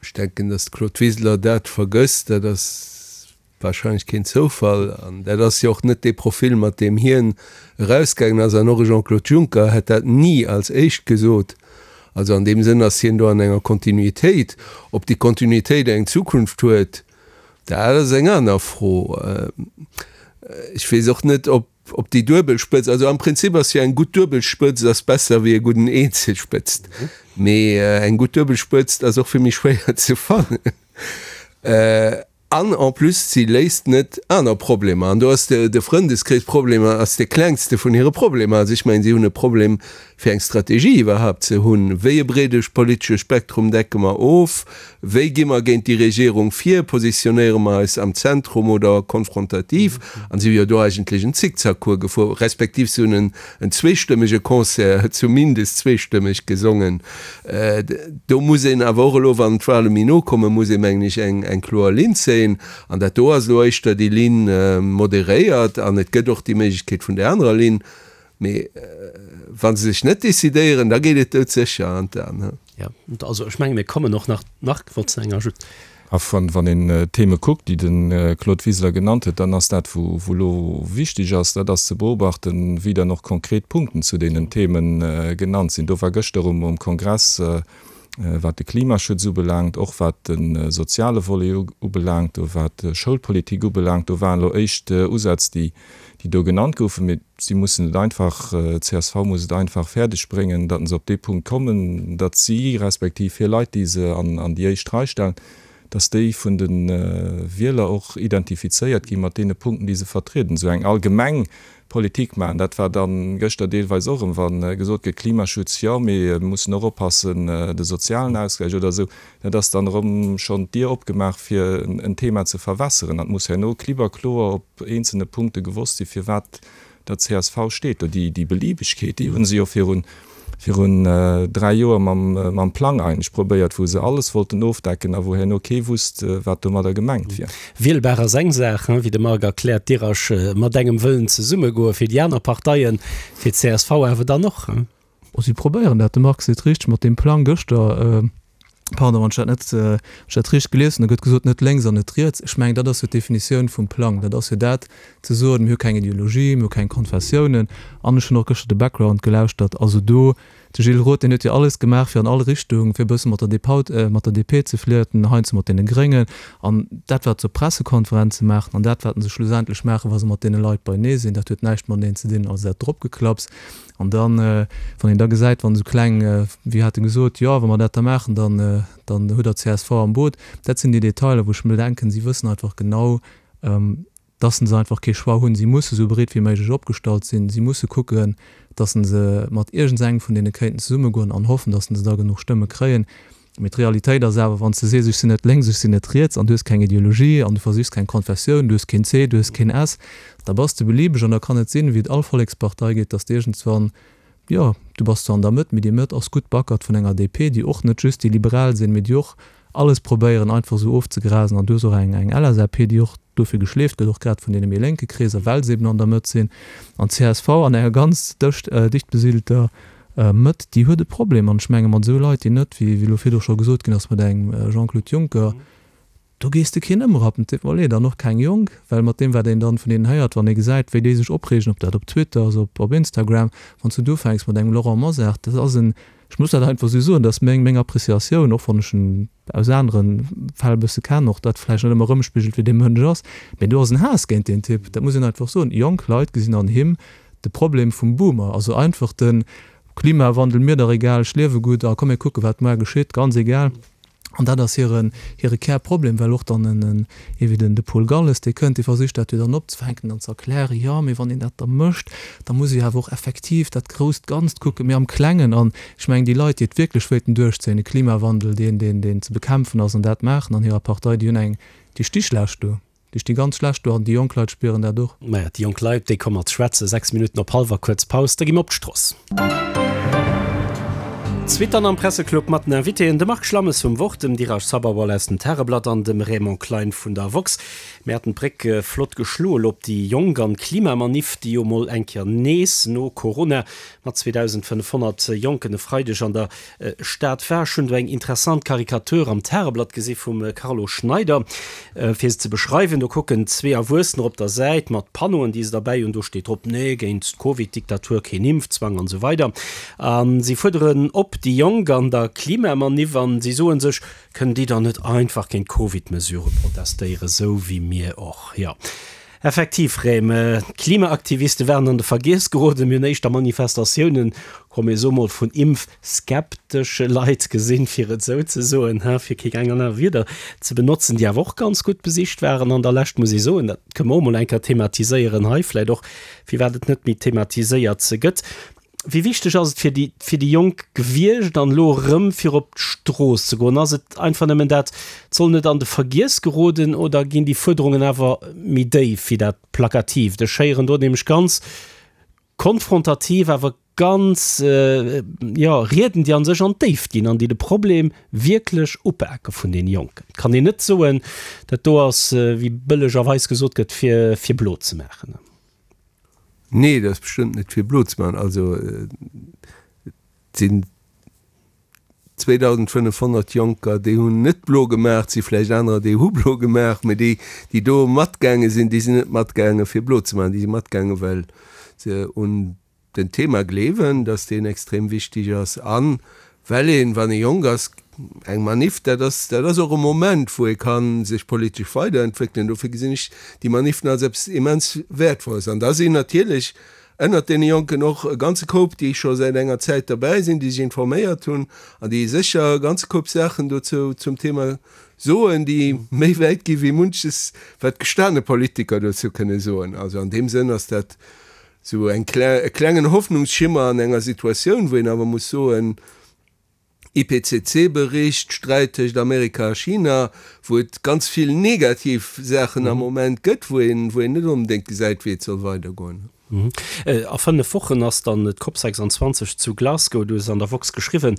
Ech denken, dass de Claude Wiseler dat vergësst. Dat ass wahrscheinlech keen Zoufall. An dat ass jo och net dee Profil, mat deem hien erausgaangen ass. An och e Jean-Claude Juncker hätt dat ni als éischt gesot. Also an deem Sënn ass hien do an enger Kontinuitéit. Ob déi Kontinuitéit eng Zukunft huet, dat ass eng aner Fro. Ech weess och net, ob ob déi Duebelspëtzt, also am Prinzip ass jo eng gutt Duebelspëtzt ass besser wéi e gudden Eenzelspëtzt, mee eng gutt Duebelspëtzt ass och vill méi schwéier ze fannen. An en plus, si léist net aner Problemer. An do ass de de Frëndeskreesproblem ass de klengste vun hire Problemer. Also ech mengen, si hunn e Problem fir eng Strategie iwwerhaapt ze hunn. Wéi e breede politesche Spektrum decke mer of? Wéi gi mer géint déi Regierung vir? Positionéiere mer eis am Zentrum oder konfrontativ? An si hu jo do eigentlech en Zickzackcours gefuer, respektiv si hunn en zweestëmmege Concert, zumindest zweestëmmeg gesongen. Do muss een awer och elo, wann d'Wahle méi no kommen, muss ee mengen ech eng kloer Linn zéien. An dat do ass elo éischter déi Linn moderéiert an et gëtt och déi Méiglechkeet vun där anerer Linn. Mee wa se sech net decidéieren, da geet et doudsécher an d'An. Jo, also ech menge mir kommen och nach, nach wollt s enger just. A wann een d'Theme kuckt, déi de Claude Wiseler genannt huet, dann ass dat, wou elo wichteg ass, dat ass ze beobachten, wéi dann och konkret Punkten zu deenen Theme genannt sinn. Do war gëschter um Kongress, wat de Klimaschutz ubelaangt, och wat de soziale Volet ubelaangt, do wat d'Schoulpolitik ubelaangt, do waren elo éischt Usätz, déi do genannt goufen. Mee si mussen et einfach, d'CSV muss et einfach fäerdeg bréngen, datt se op dee Punkt kommen, datt si, respektiv hir Leit, déi se an déi éischt Rei stellen, datt déi vun de Wieler och identifizéiert gi mat deene Punkten, déi se vertrieden. Esou eng allgemeng Politik maachen. Dat war dann gëschter deelweis och erëm, wa gesot gëtt, Klimaschutz jo, mee mir mussen och oppassen, de sozialen Ausgläich oder esou, dat ass dann erëm schonn d'Dier opgemaach, fir en Thema ze verwässeren. An et muss herno klipp a kloer op eenzelne Punkte gewosst sinn, firwat der csv steet do. Déi Beliebegkeet, déi hu se jo virun virun dräi Joer mam Plang eigentlech probéiert, wou se alles wollten ofdecken a wou herno kee wusst, wat domadder gemengt wier. Wielbar ass eng Saach, wéi de Marc erkläert, Dirasch mat engem wëllen zesummegoen, fir déi aner Parteien, fir d'CSV awer dann och. Oh, si probéieren dat, de Marc seet richteg, mat deem Plang gëschter. Pardon, wann ech dat net, wann ech dat richteg gelies hunn, da gëtt gesot, net lénks an net riets. Ech mengen, dat ass jo d'Definitioun vum Plang. Dat ass jo dat, ze soen, mir hu keng Ideologie, mir hu keng Konfessiounen. An ech hunn och gëschter de Background gelauschtert. Also do De Gilles Roth, deen huet jo alles gemaach fir an all Richtung, fir e bësse mat der DP, mat der DP ze flirten, heiansdo mat deene Gréngen. An dat, wat se op Pressekonferenze maachen an dat, wat se schlussendlech maachen, wa se mat deene Leit beienee sinn, dat huet näischt mateneen ze dinn. Also dat Dropgeklapps. An dann, wann een da gesäit, wann esou kleng, wéi hat e gesot, jo, wa mer dat da maachen, dann, dann hutt Der d'CSV am Boot. Dat sinn déi Detailer, wou ech mir denken, si wëssen einfach genau, dass se einfach kee Choix hunn. Si musse sou breet wéi méiglech opgestallt sinn. Si musse kucken, dass se mat iergendsengem vun deene kéinten zesummegoen an hoffen, dass se da genuch Stëmme kréien. Mee d'Realitéit ass awer, wann s de sees, ech sinn net lénks, ech sinn net riets an du hues keng Ideologie an du versichs keng Konfessioun, du hues keen C, du hues keen S, da bass de beliebeg an da kann et sinn, wéi et all Vollekspartei geet, dass de iergendswann, jo, du bass zwar an der Mëtt, mee déi Mëtt ass gutt backert vun enger DP, déi och net just déi Liberal sinn, mee déi och alles probéieren einfach esou ofzegrasen an du hues och eng eng LSAP, déi och dofir geschleeft gëtt, och grad vun deene méi lénke Kreeser, well se eben an der Mëtt sinn. An csv an enger ganz dëcht dicht besidelter Mëtt, déi huet e Problem. An ech menge mat esou Leit, déi net, wéi elo virdu scho gesot ginn ass, mat engem Jean-Claude Juncker, do gees de keen ëmrappen. Et deet mer leed, an och keng Jonk, well mat deem wat een dann vun deenen héiert, wann ee gesäit, wéi déi sech opreegen, ob dat op Twitter ass, op op Instagram, wann s du do ufänks mat engem Laurent Mosar, dat ass en, Ech muss dat einfach esou soen, dat ass meng, meng Appréciatioun, och wann ech en aus anere Fäll e bësse kennen, och dat vläicht net ëmmer erëmspigelt, wéi dee Mënsch ass, mee do ass en Haass géint deen Typ, dat muss een einfach soen. Jonk Leit gesinn an him de Problem vum Boomer, also einfach de Klimawandel, mir dach egal, ech liewe gutt a komm mir kucke wat muar geschitt, ganz egal. An dat ass hire, hire Kärproblem, well och dann en, ee wéi den, de Paul Galles, dee kënnt, dee versicht dat jo dann opzefänken an ze erklären, jo, mee wann een dat da mécht, da muss ee jo awer och effektiv dat grousst Ganzt kucken, mee am Klengen. An ech mengen, déi Leit, déi et wierklech wéilten duerchzéien, e Klimawandel, deen, deen, deen ze bekämpfen ass, an dat maachen an hirer Partei, déi hunn eng, déi sti schlecht do. Déi sti ganz schlecht do an déi jonk Leit spieren dat och. Maja, déi jonk Leit, déi komme mat schwätzen. Sechs Minutten op hallwer, kuerz Paus, da gi mer op d'Stross. D'Suite dann am Presseclub mat den Invitéen, dem Marc Schlammes vum Wort, dem Dheeraj Sabharwal aus dem Tageblatt an dem Raymond Klein vun der woxx. Mir haten d'Bréck flott geschloe lo op déi Jonk an d'Klimamaniff, déi jo mol eng Kéier nees no Corona mat zweedausendfënnefhonnert Jonken e Freideg an der Stad war. Ech hunn do eng interessant Karikatur am Tageblatt gesi vum Carlo Schneider. Fir se ze beschreiwen, do kucken zwee Erwuessener op der Säit mat Panneauen, déi se derbäi hunn. Do steet drop, Nee géint d'Covid-Diktatur, keen Impfzwang an esou weider. A si fuerderen op déi Jonk an der Klimamaniff an si soe sech, Kënnen déi dann net einfach géint d'Covid-Mesurë protestéieren, esou wéi mir och? Jo. Effektiv, Rem, d'Klimaaktiviste waren an de Vergiess geroden. Mir hunn éischter Manifestatiounen, komm mir soe mol, vun impfskeptesche Leit gesinn, fir et esou ze soen, ha, fir keng aner Wierder ze benotzen, déi awer och ganz gutt besicht waren an der Lescht, muss ee soen. Dat kënne mer och mol eng Kéier thematiséieren hei, vläicht och, firwat et net méi thematiséiert gëtt. Wéi wichteg ass et fir déi, fir déi Jonk gewiescht an elo erëm fir op d'Strooss ze goen? Ass et einfach nëmmen dat, et soll net an de Vergiess geroden oder ginn déi Fuerderungen awer méi déif wéi dat Plakatiivt? Ech héieren do nämlech ganz konfrontativ, awer ganz, jo, Rieden, déi a sech an d'Déift ginn an déi de Problem wierklech upake vun deene Jonken. Et kann een net soen, dat do ass, wéi bëllegerweis gesot gëtt, fir, fir blo ze maachen. Nee, dat ass bestëmmt net fir blo ze maachen. Also et sinn zweedausendfënnefhonnert Jonker, déi hunn net blo gemaach. Et si vläicht anerer, déi hu blo gemaach, mee déi, déi do matgaange sinn, déi sinn net matgaange fir blo ze maachen. Déi si matgaange well se un den Thema gleewen, dass deen extrem wichtig ass an well een, wann ee jonk ass, eng Maniff, dat ass, dat ass och e Moment, wou ee ka sech politesch weiderentwéckelen. Dofir gesinn ech déi Maniffen als eppes immens Wäertvolles. An da sinn natierlech ënnert deene Jonken och e ganze Koup, déi scho säit enger Zäit derbäi sinn, déi sech informéiert hunn an déi sécher e ganze Koup Saachen dozou zum Thema soen, déi méi wäit gi wéi munches, wat gestane Politiker dozou kënne soen. Also an deem Sënn ass dat Sou eng e klengen Hoffnungsschimmer an enger Situatioun, wou een awer muss soen, I P C C Bericht, Sträit tëscht Amerika a China, wou et ganz vill negativ Saachen am Moment gëtt, wou een, wou een net onbedéngt gesäit, wéi et soll weidergoen. A fënnef Wochen ass dann d'Cop sechsanzwanzeg zu Glasgow. Du hues an der woxx geschriwwen,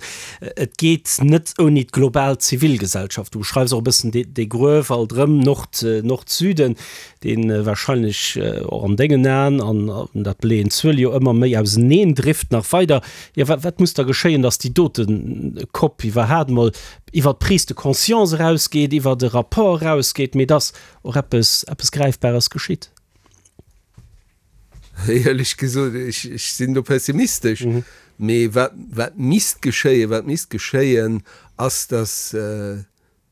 et geet net ouni d'global Zivilgesellschaft. Du beschreifs och e bëssen dee Gruef alt erëm, Nord, Nord-Süden. dee wahrscheinlech och an dengen Aen, an dat beleeën d'Zuele jo, ëmmer méi auseneen drift nach weider. Jo, wat, wat muss da geschéien, datt déi dote Cop iwwerhaat emol iwwer d'Prise de conscience erausgeet, iwwer e Rapport erausgeet, mee datt och eppes, eppes Gräifbares geschitt? Éierlech gesot, ech, ech sinn do pessimistesch. Mee wat, wat misst geschéien, wat misst geschéien, ass, dass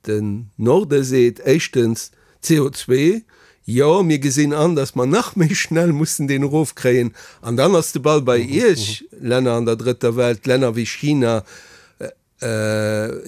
den Norde seet, éischtens, C O zwee, jo, mir gesinn an, dass mer nach méi schnell mussen deen erofkréien. An dann ass de Ball bei Iech, Länner an der Drëtter Welt, Länner wéi China.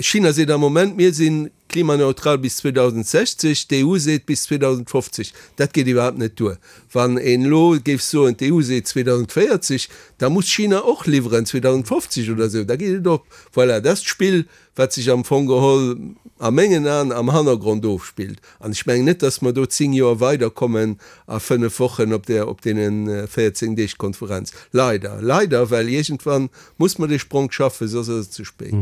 China seet am Moment, mir si klimaneutral bis zweedausendsechzeg, d'E U seet bis zweedausendfofzeg. Dat geet iwwerhaapt net duer. Wann een elo géif soen, d'E U seet zweedausendvéierzeg, da muss China och liwweren zweedausendfofzeg oder esou, da geet et op. Voilà, dat ass d'Spill, wat sech am Fong geholl a mengen Aen am Hannergrond ofspillt. An ech mengen net, dass mer do zéng Joer weiderkommen a fënnef Wochen op där, op deene véierzéng Deeg Konferenz. Leider, leider, well iergendwann muss mer dee Spronk schaffen, soss ass et ze spéit.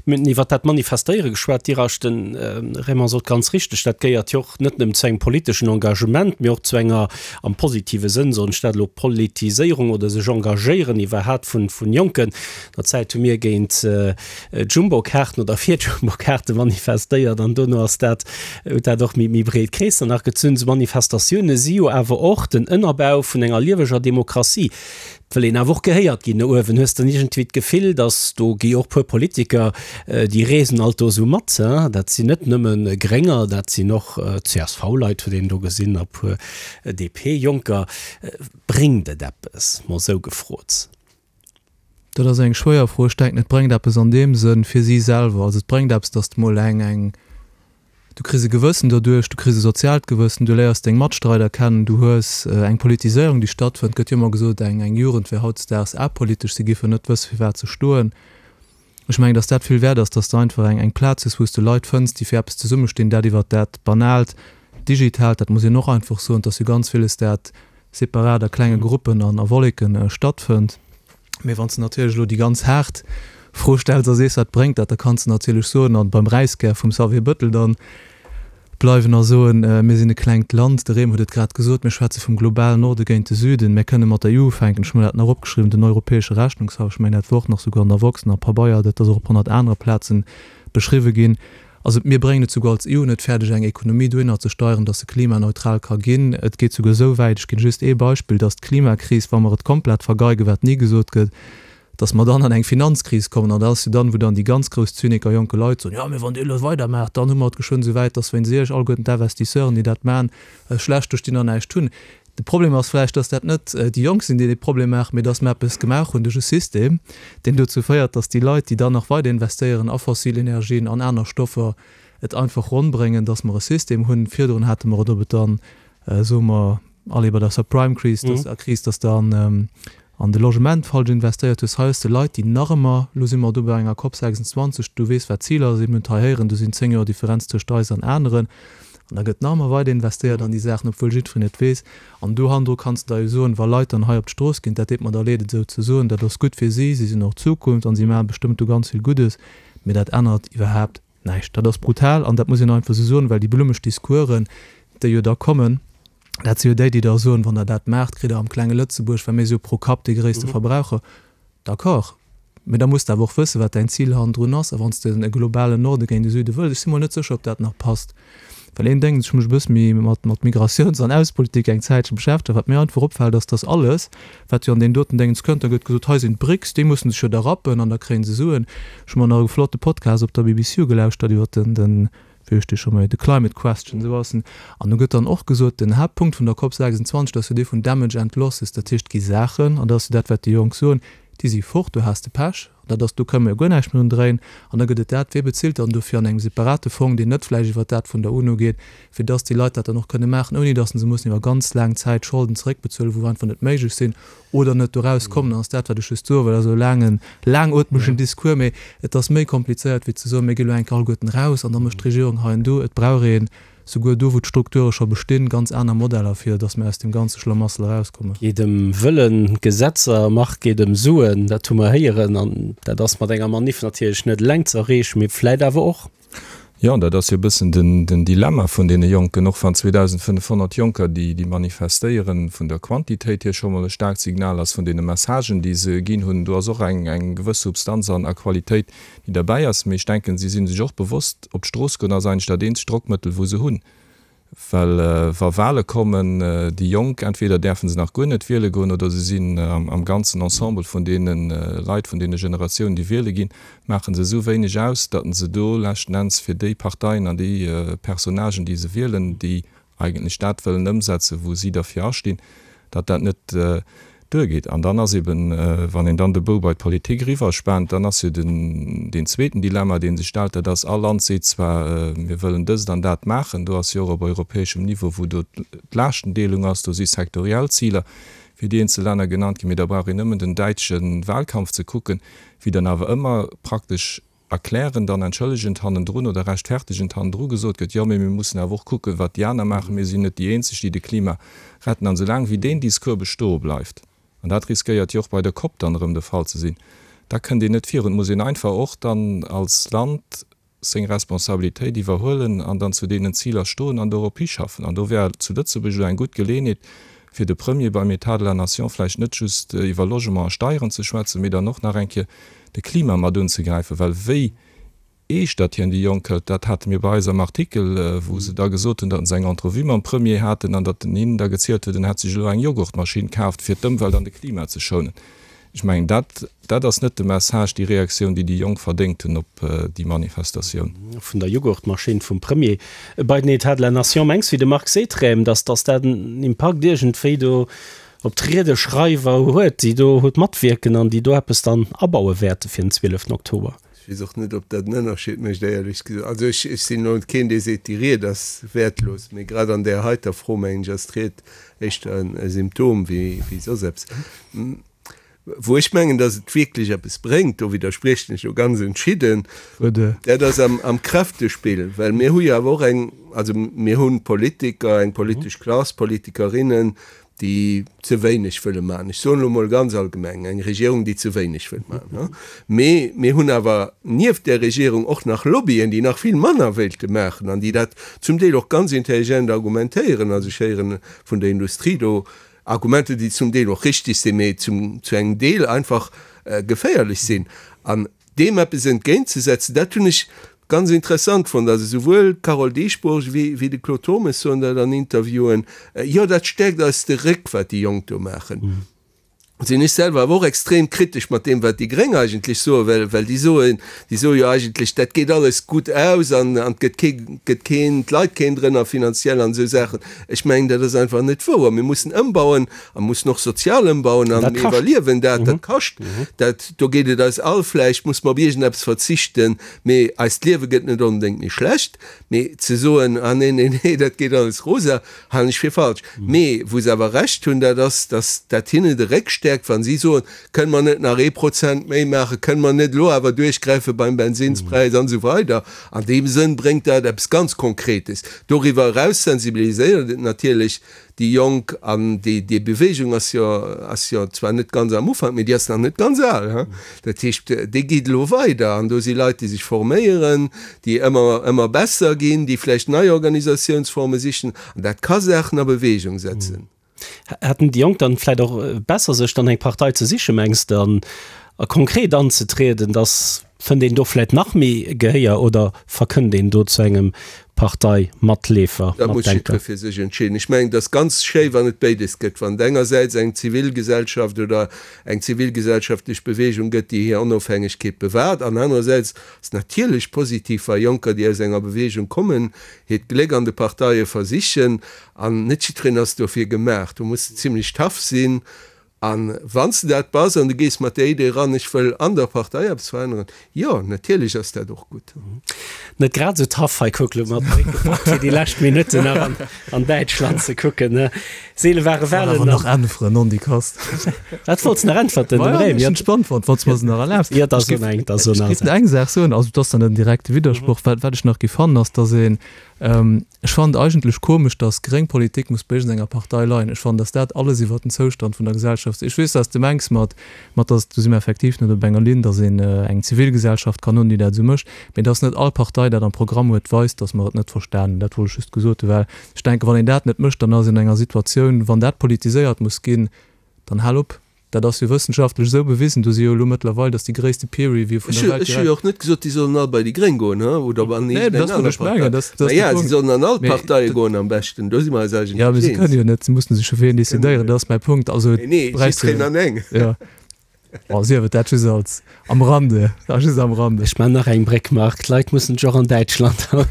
Mir hunn iwwert dat Manifestéiere geschwat, Dir Asch, de Raymond sot ganz richteg, dat gehéiert jo och net nëmmen zu engem politeschen Engagement, mee och zu enger, am positive Sënn soen ech dat elo, Politiséierung oder sech engagéieren iwwerhaapt vun, vun Jonken. Der Zäit hu mir géint d'Jumbokaarten oder fir d'Jumbokaarte manifestéiert an dono ass dat, huet dat och méi, méi breet Kreesser nach gezunn. Esou Manifestatioune si jo awer och den Ënnerbau vun enger lieweger Demokratie. Et wëll een awer och gehéiert ginn no uewen. Hues de iergendwéi d'Gefill, datt do gi och puer Politiker, déi reesen alt do esou mat, dat sinn net nëmme Grénger, dat sinn och C S V-Leit, huet een do gesinn, a puer D P-Jonker. Bréngt et eppes, mol esou gefrot? Dat ass eng schwéier Fro. Ech denken, et bréngt eppes an deem Sënn fir si selwer. Also et bréngt eppes, datt s de mol eng, eng, du kriss e Gewëssen doduerch, du kriss e soziaalt Gewëssen, du léiers deng Matstreider kennen, du hues eng Politiséierung, déi stattfënnt. Et gëtt jo ëmmer gesot, eng, eng Jugend wär hautdesdaags apolitesch, si giffen net wësse fir wat se stoen. Ech mengen, datt dat vill wäert ass, datt s de einfach eng, eng Plaz hues, wou s de Leit fënns, déi fir eppes zesummestinn, dat iwwert dat Banaalt, Digitaalt, dat muss een och einfach soen, datt jo ganz villes dat separat a klenge Gruppen an a Wolleken stattfënnt. Mee wann s de natierlech elo déi ganz haart Fro stells a sees, wat bréngt dat, da kanns de natierlech soen, an beim Räiskär vum Xavier Bëttel dann bleiwen a soen, mir sinn e klengt Land, de Rem huet et grad gesot, mir schwätze vum globalen Norde géint de Süden, mir kënne mat der E U ufänken, ech hu mer dat nach opgeschriwwen, den Europäesche Rechnungshaff, ech mengen dat wor och nach souguer an der Woxx a Pabeier, dat ass och op honnert anere Plazen beschriwwe ginn. Also mir bréngen et souguer als E U net fäerdeg, eng Ekonomie dohinner ze steieren, dass se klimaneutral ka ginn. Et geet souguer esou wäit, ech ginn just ee Beispill, dass d'Klimakris, wa mer et komplett vergeigen, wat ni gesot gëtt, dass mer dann an eng Finanzkris kommen. An dat ass jo dann, wou dann déi ganz grouss Zyniker, jonke Leit soen, Jo, mee wann Dir elo weidermaacht, dann hu mer et geschwënn esou wäit, dass wéinst Iech alleguerten d'Investisseuren, déi dat maachen, schlecht do stinn an näischt hunn. De Problem ass vläicht, dass dat net déi Jonk sinn, déi dee Problem maachen, mee dass mer eppes gemaach hunn duerch e System, deen dozou féiert, dass déi Leit, déi dann nach weider investéieren a fossil Energien, an aner Stoffer, et einfach ronn bréngen, dass mer e System hunn. Virdrun hate mer et, ob et dann, soe mer, allez, bei der Subprime-Kris, dass, Kris, dass dann an de Logement falsch investéiert hues. Hei hues de Leit, déi nach ëmmer, elo si mer do bei enger COP sechsundzwanzeg, du weess, wat d'Ziler sinn, mir hunn et hei héieren, do sinn zéng Joer Differenz tëscht eis an aneren, an da gëtt nach ëmmer weider investéiert an déi Saachen, obwuel jiddwereen et weess. An do hannendru kanns de da jo soen, wa Leit dann hei op d'Strooss ginn, dat deet mer da leed, et esou ze soen, dat ass gutt fir si, si sinn och d'Zukunft an si maache bestëmmt do ganz vill Guddes, mee dat ännert iwwerhaapt näischt. Dat ass brutal an dat muss een einfach esou soen, well déi blummeg Discoursen, déi jo da kommen, dat si jo déi, déi da soen, wann Der dat maacht, kritt Der am klenge Lëtzebuerg, well mir si jo pro Kapp dee gréisste Verbraucher, d'accord, mee da muss de awer och wëssen, wat däin Zil hannendrun ass. A wann s de e globalen Norde géint e Süde wëlls, ech si mol net sécher, ob dat nach passt, well een Déngens, ech hu mech e bësse méi mat mat Migratiouns an Aussepolitik eng Zäitche beschäftegt, wat mir einfach opfält, ass, dass alles, wat jo an deen doten Déngens kënnt, da gëtt gesot, hei sinn d'BRICS, déi mussen sech jo da rappen an da kréie se Suen. Ech hu mer nach e flotte Podcast op der B B C ugelauschtert iwwer den den wéi heescht dee scho méi, The Climate Question, esou ass en. An do gëtt dann och gesot, den Haaptpunkt vun der COP sechsundzwanzeg, dat ass jo dee vun Damage and Losses, dat heescht, et gi Saachen, an dat ass jo dat, wat déi Jonk soen, déi si fort, do has de Pech, dat ass, do kënne mer jo guer näischt méi drun dréien. An da gëtt et dat, wee bezilt dann dofir an engem separate Fong, deen net vläicht iwwert dat vun der UNO geet, fir dass déi Leit dat dann och kënne maachen, ouni dass se mussen iwwer ganz laang Zäit Scholden zeréckbezuelen, wou einfach net méiglech sinn oder net doraus kommen. Dann ass dat, wat ech just soe well, also e laangen, laangootmegen Discours, mee et ass méi komplizéiert wéi ze soen, mir gi elo eng Kéier alleguerten eraus an da mécht d'Regierung hei an do. Et brauch een, souguer do wou d'Strukture scho bestinn, ganz aner Modeller, fir datt mir aus deem ganze Schlamassel erauskommen. Geet ëm Wëllen, Gesetzer, Macht geet ëm Suen, dat hu mer héieren. An dat ass mat enger Maniff natierlech net eleng ze erreechen, mee vläit awer och. Jo, dat ass jo e bëssen den Dilemma vun deene Jonken, och wann zweedausendfënnefhonnert Jonker, déi manifestéieren, vun der Quantitéit hier scho mol e staarkt Signal ass, vun deene Messagen, déi se ginn hunn, do ass och eng gewëss Substanz an a Qualitéit, déi derbäi ass. Mee ech denken, si si sech och bewosst, op d'Strooss goen ass eigentlech dat eenzegt Drockmëttel, wou se hunn. Well wa Wahle kommen, déi Jonk, entweder däerfe se nach guer net wiele goen oder se sinn am ganzen Ensemble vun deene Leit, vun deene Generatiounen, déi wiele ginn, maache se esou wéineg aus, datt se do leschten Enns fir déi Parteien an déi Personnagen, déi se wielen, déi eigentlech dat wëllen ëmsetzen, wou si derfir astinn, datt dat net duergeet. An dann ass eben, wann een dann de Bou bei d'Politik eriwwerspaant, dann ass jo den, deen zweeten Dilemma, dee sech stellt, dat ass, all Land seet zwar, mir wëllen dëst an dat maachen, do ass jo och op europäeschem Niveau, wou do d'Laaschtendeelung ass, do si sektoriell Ziler fir déi eenzel Länner genannt ginn, mee da brauch een nëmmen den däitsche Wahlkampf ze kucken, wéi dann awer ëmmer praktesch erklärend an entschëllegend hannendrun oder rechtfertegend hannendru gesot gëtt, jo, mee mir mussen awer och kucken, wat déi aner maachen, mir sinn net déi eenzeg, déi de Klima retten. An soulaang wéi deen Discours bestoe bleift, an dat riskéiert jo och bei der Cop dann erëm de Fall ze sinn, da kënnt een net virun. Et muss een einfach och dann als Land seng Responsabilitéit iwwerhuelen an dann zu deenen Ziler stoen an dorop hischaffen. An do wär zu Lëtzebuerg elo eng gutt Geleeënheet, fir de Premier beim État de la Nation vläicht net just iwwer Logement a Steieren ze schwätzen, mee dann och nach eng Kéier de Klima mat unzegräifen, well wéi eescht datt hien déi Jonk hëlt, dat hate mir bei eis am Artikel, wou se da gesot hunn, datt se eng Entrevue mam Premier haten an datt en hinnen da gezielt huet, en hätt sech elo eng Joghurtmaschinn kaaft, fir d'Ëmwelt an de Klima ze schounen. Ech mengen, dat, dat ass net de Message, déi Reaktioun, déi déi Jonk verdéngt hunn op déi Manifestatioun. Vun der Joghurtmaschinn vum Premier bei den État de la Nation. Mengs, wéi de Marc seet, Rem, datt, datt dat en Impakt iergendwéi do op d'Riedeschreiwer huet, déi do huet matwierken an déi do eppes dann abaue wäerte fir den zwieleften Oktober? Ech weess och net, ob dat en Ënnerscheed mécht, éierlech gesot. Also ech, ech sinn elo keen, dee seet, déi Ried ass wäertlos, mee grad an där heiter Fro, mengen ech, ass d'Ried éischter e Symptom wéi, wéi soss eppes. Wou ech mengen, datt et wierklech eppes bréngt, do widderspriechen ech elo ganz entschidden, dat ass am Kräftespill, well mir hu jo awer och eng, also mir hu Politiker, eng politesch Klass, Politikerinnen, déi ze wéineg wëlle maachen. Ech soen elo emol ganz allgemeng, eng Regierung, déi ze wéineg wëllt maachen. Mee mir hunn awer nieft där Regierung och nach Lobbyen, déi nach vill manner wéilte maachen an déi dat zum Deel och ganz intelligent argumentéieren. Also ech héiere vun der Industrie do Argumenter, déi zum Deel och richtig sinn, mee zum, zu engem Deel einfach geféierlech sinn. An deem eppes entgéintzesetzen, dat hunn ech ganz interessant fonnt. Also souwuel d'Carole Dieschbourg wéi, wéi de Claude Turmes soen dat an Interviewen, Jo, dat stäerkt eis de Réck, wat déi Jonk do maachen. Sinn ech selwer awer och extrem kritesch mat deem, wat déi Gréng eigentlech soen, well, well déi soen, déi soe jo eigentlech, dat geet alles gutt aus an, an et gëtt kee, gëtt keen, d'Leit keen drënner finanziell an esou Saachen. Ech mengen, dat ass einfach net wouer. Mir mussen ëmbauen a mussen och sozial ëmbauen an mir iwwerliewen dat. Dat kascht. Dat, do geet et eis all, vläicht muss mer op iergendeppes verzichten, mee eist Liewe gëtt net onbedéngt méi schlecht. Mee ze soen, ah nee, nee, nee, dat geet alles rosa, halen ech fir falsch. Mee wou se awer Recht hunn, dat ass, datt dat hinne de Réck stäerkt, wa si soen, Kënne mer net nach ee Prozent méi maachen, kënne mer net elo awer duerchgräife beim Bensinnspräis an esou weider. An deem Sënn bréngt dat eppes ganz Konkretes. Doriwwer eraus sensibiliséiert et natierlech déi Jonk, an déi, déi Bewegung ass jo, ass jo zwar net ganz am Ufank, mee déi ass nach net ganz al, hein. Dat heescht, déi geet elo weider an do si Leit, déi sech forméieren, déi ëmmer, ëmmer besser ginn, déi vläicht nei Organisatiounsforme sichen, an dat ka Saachen a Bewegung setzen. Hätten déi Jonk dann vläicht och besser sech dann eng Partei ze sichen, mengs de, an a konkret anzetrieden, dass fënnt een do vläicht nach méi Gehéier oder verkënnt een do zu engem Parteimatleefer, Dat muss Matdenker? jiddwer fir sech entscheeden. Ech mengen, et ass ganz schéi, wann et béides gëtt, wann et engersäits eng Zivilgesellschaft oder eng zivilgesellschaftlech Bewegung gëtt, déi hir Onofhängegkeet bewahrt, an anerersäits ass et natierlech positiv, wa Jonker, déi aus enger Bewegung kommen, hiert Gléck an de Parteie versichen. An net jiddwereen ass dofir gemaach. Do muss de zimlech tough sinn. A wann s de dat bass an du gees mat där Idee eran, ech wëll an der Partei eppes veränneren, jo, natierlech ass dat och gutt. Net grad esou tough hei, kuck lo mat Bréck gepackt fir déi lescht Minutten nach an, an Däitschland ze kucken, ne? Seele ware Wahlen an. Nach äntweren, nondikass. Wat wollts nach äntwerten, dem Rém? Ech hunn spannend fonnt, wann s de mer se nach erlaabs. Jo, da so eng, da so nach. Ech géif eng Saach soen, also et ass dann en direkte Widdersproch, wat, wat ech nach géif fannen, ass, datt een, Ech fannen et eigentlech komesch, datt gréng Politik muss bei iergendenger Partei leien. Ech fannen, datt dat alles iwwert den Zoustand vun der Gesellschaft. Ech weess, wat s de mengs mat, mat datt, do si mer effektiv net op enger Linn, datt een eng Zivilgesellschaft kann hunn, déi dat esou mécht. Mee datt net all Partei dat am Programm huet, weist, datt mer et net verstanen. Dat wollt ech just gesot hunn, well ech denken, wann een dat net mécht, dann ass een an enger Situatioun, wann dat politiséiert muss ginn, dann hal op. Dat ass jo wëssenschaftlech esou bewisen, do si jo elo mëttlerweil, dat ass déi gréisste Peer Review vun Ech der Welt ech hu jo direkt. och net gesot, déi sollen all bei déi Gréng goen, he, oder an Nee, iergendeng dat wollt aner ech mengen, Partei. dat dat Mä ass de ja, si Punkt. sollen an all Mee d'Parteie dat goen am beschten, do si mer eis Ja, eigentlech mee se eens. kënnen jo net, se mussen sech jo fir een Kënnen decidéieren, net. dat ass mäi Punkt. Also Nee, nee, bräichs jiddwereen de an eng. ja. Bon, sief et dat just als am Rande, dat just am Rande. Ech man nach eng Bréck, Marc. D'Leit mussen sech och an Däitschland haut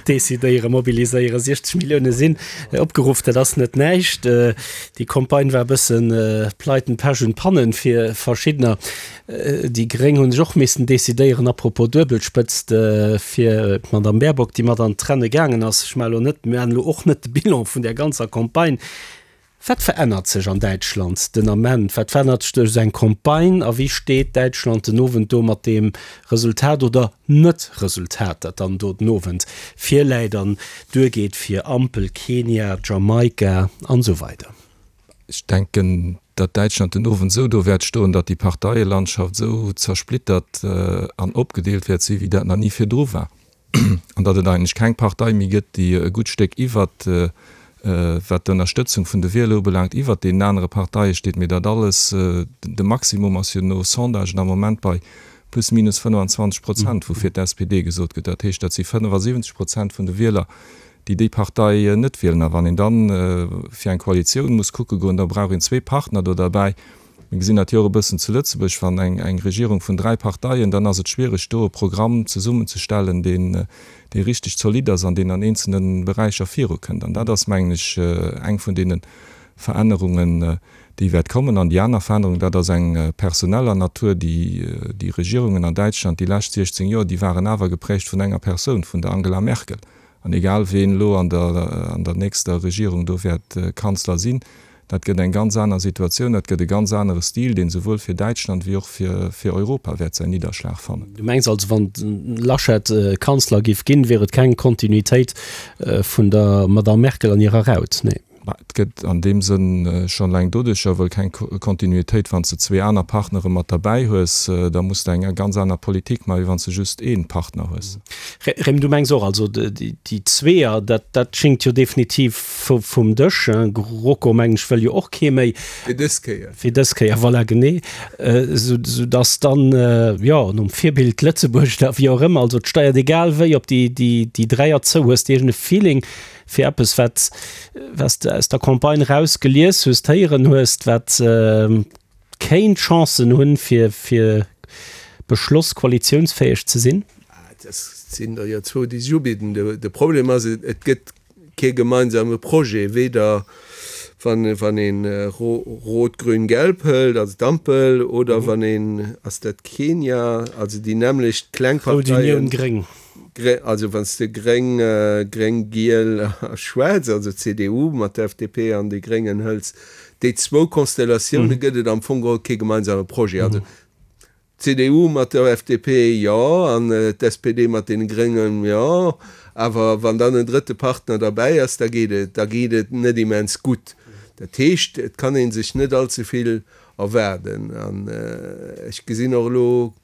decidéieren, mobiliséieren. siechzeg Millioune sinn opgeruff, dat ass net näischt. Déi Campagne war e bëssen Pleiten, Pech und Pannen fir verschiddener. Déi Gréng hu sech och missen decidéieren, apropos Duebelspëtzt, fir d'Madame Baerbock, déi mat an d'Renne gaangen ass. Ech man elo net, mir man elo och net de Bilan vun där ganzer Campagne. Wat verännert sech an Däitschland den Ament? Wat verännert sech duerch esou eng Campagne? A wéi steet Däitschland den Owend do mat deem Resultat oder Net-Resultat, dat dann do den Owend virläit an duergeet fir Ampel, Kenia, Jamaika an esou weider? Ech denken, datt Däitschland den Owend esou do wäert stoen, datt déi Parteielandschaft esou zersplittert an opgedeelt wäert sinn, wéi dat nach ni virdru war, an datt et eigentlech keng Partei méi gëtt, déi e gutt Stéck iwwert, wat d'Ënnerstëtzung vun de Wieler ubelaangt, iwwert deenen anere Parteie steet. Mee dat alles, de Maximum ass jo no Sondagen am Moment bei plus minus fënnfanzwanzeg Prozent, woufir d'S P D gesot gëtt. Dat heescht, dat si fënnefasiwwenzeg Prozent vun de Wieler, déi déi Partei net wielen. A wann een dann fir eng Koalitioun muss kucke goen, da brauch een zwee Partner do derbäi. Mir gesinn dat jo och e bëssen zu Lëtzebuerg, wann eng eng Regierung vun dräi Parteien, dann ass et schwierig, do e Programm zesummenzestellen, deen dee richtig zolidd ass an deen an eenzelne Beräicher virukënnt. An dat ass, mengen ech, eng vun deene Verännerungen, déi wäert kommen. An déi aner Verännerung, dat ass eng personeller Natur. Déi déi Regierungen an Däitschland déi lescht siechzéng Joer, déi waren awer geprägt vun enger Persoun, vun der Angela Merkel. An egal ween elo an der an der nächster Regierung do wäert Kanzler sinn, dat gëtt eng ganz aner Situatioun, dat gëtt e ganz anere Stil, deen souwuel fir Däitschland wéi och fir fir Europa wäert säin Nidderschlag fannen. Du mengs also, wann de Laschet Kanzler géif ginn, wier et keng Kontinuitéit vun der Madamm Merkel an hirer Raut? Nee. Bah, et gëtt an deem Sënn schonn eleng doduercher wuel keng Kontinuitéit, wann s de zwee aner Partnere mat derbäi hues, da muss de eng ganz aner Politik maachen, wéi wann s de just ee Partner hues. Rem, du mengs och, also déi Zweeër, dat dat schéngt jo definitiv vum Dësch. GroKo, mengen ech, wëll jo och kee méi. Fir dës Kéier. Fir dës Kéier, voilà, genee. Sou sou datt dann, jo, nom Virbild Lëtzebuerg da, wéi och ëmmer, also et steiert egal wéi op déi déi déi Dräier zou. Hues de iergend e Feeling fir eppes, wat wat s de aus der Campagne raus gelies hues, héieren hues, wat kéint Chancen hunn, fir fir Beschloss koalitiounsfäeg ze sinn? Dat sinn der jo zwou, déi sech ubidden. De Problem ass, et gëtt kee gemeinsame Projet, weder wann wann een Rot-Grün-Gelb hëlt, also d'Ampel, oder wann een, ass dat Kenia, also déi nämmlecht kleng Rout Parteien, Unioun Gréng. Also wann s de Gréng, Gréng, Giel a Schwaarz, also C D U mat der F D P an de Gréngen hëls, déi zwou Konstellatioune gëtt et am Fong geholl kee gemeinsame Projet. Also d'C D U mat der F D P, jo, an d'S P D mat deene Gréngen, jo, awer wann dann en drëtte Partner derbäi ass, da geet et, da geet et net immens gutt. Dat heescht, et kann ee sech net allze vill erwaarden. An ech gesinn och elo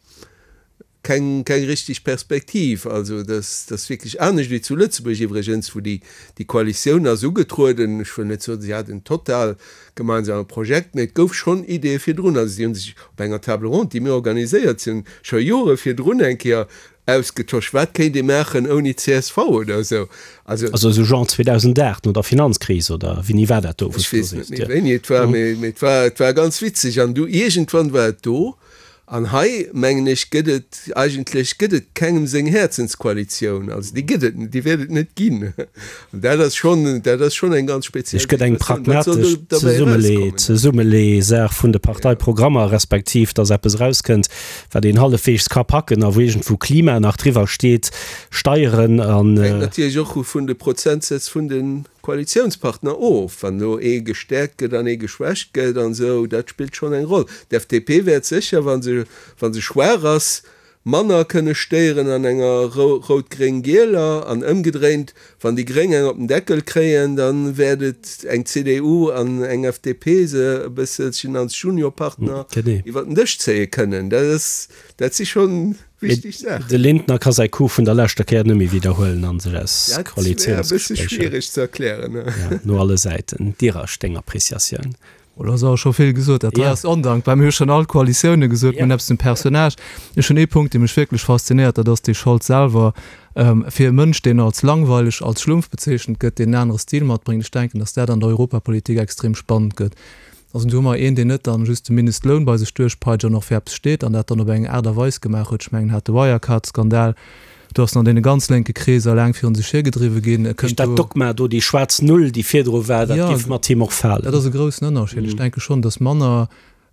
keng keng richtig Perspektiv. Also dass dass wierklech anescht wéi zu Lëtzebuerg iwwregens, wou déi déi Koalitioun ass ugetrueden, ech wëll net soen, si hat en total gemeinsame Projekt, mee et gouf schonn Ideeë virdrun. Also si hu sech op enger Table ronde, déi mir organiséiert hunn, scho Jore virdrun eng Kéier ausgetosch, wat kéint ee maachen ouni C S V oder esou. Also Also esou genre zweedausendacht no der Finanzkris oder wéini war dat do, wou Ech s du weess net sees? méi wéini et war, mee mee et war et war ganz witzeg an du iergendwann war et do. An hei, mengen ech, gëtt et eigentlech gëtt et kengem seng Häerzenskoalitioun. Also déi gëtt et net, déi wäert et net ginn. An dat ass schonn, dat ass schonn eng ganz Et speziell gëtt eng Situatioun. Wat soll pragmatesch do derbäi Zesummelee erauskommen? Zesummelee-Saach vun de Parteiprogrammer, respektiv datt eppes erauskënnt, wat een hallefweegs ka packen a wou iergendwou Klima nach driwwer steet, Steieren an. Hänkt natierlech och vun de Prozentsätz vun de Koalitiounspartner of. Wann do ee gestäerkt gëtt an ee geschwächt gëtt an esou, dat spillt schonn eng Roll. D'F D P wäert sécher, wa se, wa se schwaach ass, manner kënne stéieren an enger rout-gréng-gieler an ëmgedréint, wann déi Gréng eng op den Deckel kréien, da wäert et eng C D U an eng F D P se e bësselchen als Juniorpartner iwwer den Dësch zéie kënnen. Dat ass, dat si schonn wichteg Saachen. De Lindner ka säi Coup vun der leschter Kéier net méi widderhuelen an sech aus Dat wär e bësse Koalitiounsgespréicher schwiereg ze erklären. Ja, no alle Säiten. Dirasch, deng Appreciatioun? Oh, do ass awer scho vill gesot. Dat hei ass ondankbar. Mir hu schonn all Koalitioune gesot, mir hunn eppes zum Personnage. Ech hunn ee Punkt, dee mech wierklech faszinéiert, dat ass dee Scholz selwer. Fir e Mënsch, deen als langweileg, als Schlumpf bezeechent gëtt, deen en anere Stil matbréngt, ech denken, datt dat an der Europapolitik extrem spannend gëtt. Also do hu mer een, deen net dann just de Mindestloun bei sech duerchpeitscht an och fir eppes steet an dat dann op eng Aart a Weis gemaach huet. Ech mengen, hat de Wirecard-Skandal, do ass en an deene ganz lénke Kreeser laang virun sech hiergedriwwe ginn. E kënnt Dat do. Dogma do, déi schwaarz Null, déi virdru war, dat Jo, géif mat him och falen. dat ass e groussen Ënnerscheed. Ech denke schonn, datt manner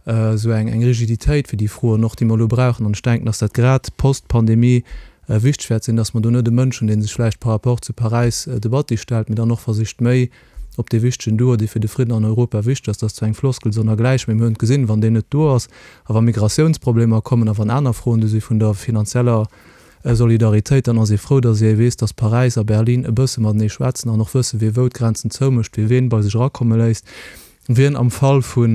esou eng eng Rigiditéit fir déi Froen och, déi mer elo brauchen, an ech denken, datt dat grad post-Pandemie wichteg wäert sinn, datt mer do net e Mënsch hunn, dee sech vläicht par rapport zu Paräis de Batti stellt, mee dann och versicht méi op dee wichtegen Duo, dee fir de Fridden an Europa wichteg ass, dat ass zwar eng Floskel sonnergläich, mee mir hunn et gesinn, wann deen net do ass a wa Migratiounsproblemer kommen a wann aner Froen do si vun der finanzieller Solidaritéit, dann ass ee frou, datt ee weess, datt Paräis a Berlin e bësse matenee schwätzen an och wëssen, wie wou d'Grenzen zoumécht, wie ween bei sech erakomme léisst, wien am Fall vu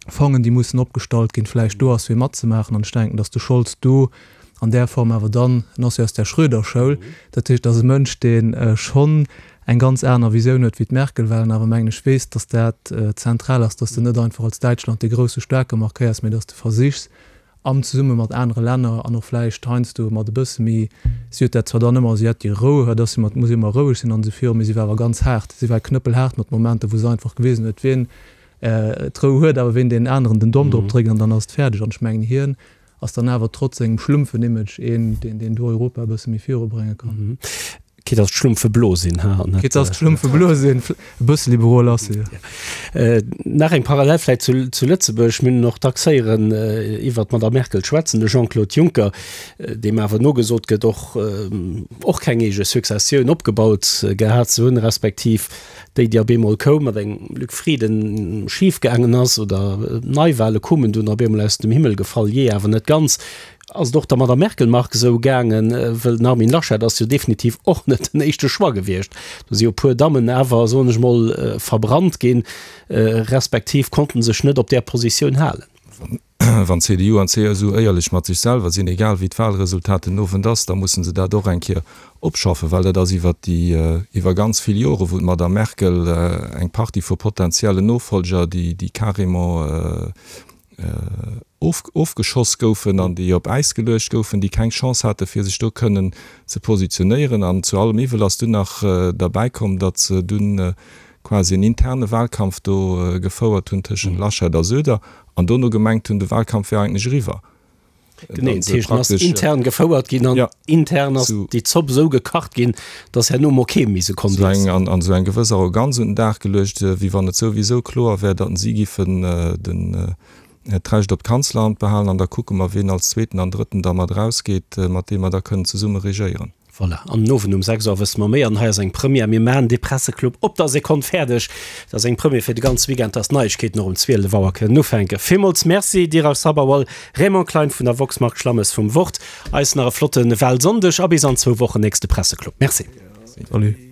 Fongen, déi mussen opgestallt ginn, vläicht do ass fir matzemaachen. An ech denken, datt de Scholz do an där Form awer dann, en ass jo aus där Schröder-Schoul, dat heescht, ass e Mënsch, dee schonn eng ganz aner Visioun huet wéi d'Merkel, well en awer, mengen ech, weess, datt dat zentral ass, datt s de net einfach als Däitschland dee grousse Staarke markéiers, mee datt s de versichs, am zesumme mat anere Länner an och vläicht heiansdo mat e bësse méi, si huet dat zwar dann ëmmer, si hat déi Rou, dat ass si mat, muss ëmmer roueg sinn an esou viru, mee si war awer ganz haart, si war knëppelhaart mat Momenter, wou se einfach gewisen huet, wien d'Rou huet, awer wien deenen aneren den Domm drop dréckt an dann ass et fäerdeg. An ech mengen, hien ass dann awer trotz sengem schlumpfen Image een, deen deen do Europa e bësse méi virubrénge kann. Quitte dass d'Schlumpfe blo sinn, ha, an net. Quitte dass d'Schlumpfe blo sinn, e bësse liberol ass se, jo. Nach eng Parallel vläicht zu zu Lëtzebuerg, Mir hunn och dacks héieren iwwert d'Madame Merkel schwätzen, de Jean-Claude Juncker, deem awer nogesot gëtt, och och keng eege Successioun opgebaut gehat ze hunn, respektiv déi, déi op eemol koum, mat engem Luc Frieden schif gaangen ass oder Neiwahle koumen dunn op eemol aus dem Himmel gefall, jee awer net ganz. Ass et och der Madame Merkel, Marc, esou gaangen? Wëll den Armin Laschet ass jo definitiv och net den éischte Choix gewiescht. Do si jo e puer Dammen awer, soen ech mol, verbrannt ginn, respektiv konnten sech net op där Positioun halen. Wann C D U an C S U éierlech mat sech selwer sinn, egal wéi d'Wahlresultat den Owend ass, da musse se dat och eng Kéier opschaffen, well dat ass iwwer déi, iwwer ganz vill Jore wou d'Madame Merkel eng Partie vu potenziellen Nofolger, déi, déi carrément ofgeschoss goufen an déi op Äis geluecht goufen, déi keng Chance hate fir sech do kënnen ze positionéieren. An zu allem Iwwel ass dunn nach derbäi komm, datt se dunn quasi en interne Wahlkampf do gefouert hunn tëschent Laschet a Söder an dono gemengt hunn, de Wahlkampf wär eigentlech eriwwer. Genee, dat heescht, en ass intern gefouert ginn an intern ass déi Zopp esou gekacht ginn, datt herno mol kee méi se konnt iessen. An esou eng gewëss Arroganz un den Dag geluecht, wéi wann et souwisou kloer wär, datt si giffen den d'Recht op d'Kanzleramt behalen an da kucke mer, wien als Zweeten an Drëtten da mat erausgeet, mat deem mer da kënnen zesumme regéieren. Voilà, an den Owend um sechs Auer wësse mer méi. An hei ass eng Première, mir maachen dee Presseclub op der Sekonn fäerdeg. Dat ass eng Première fir de ganze Weekend, dass d'Neiegkeeten och um zwielef Auer kënnen ufänken. Villmools Merci, Dheeraj Sabharwal, Raymond Klein vun der woxx, Marc Schlammes vum Wort. Eis nach e flotte Wahlsonndeg a bis an zwou Wochen, nächste Presseclub. Merci. Salut.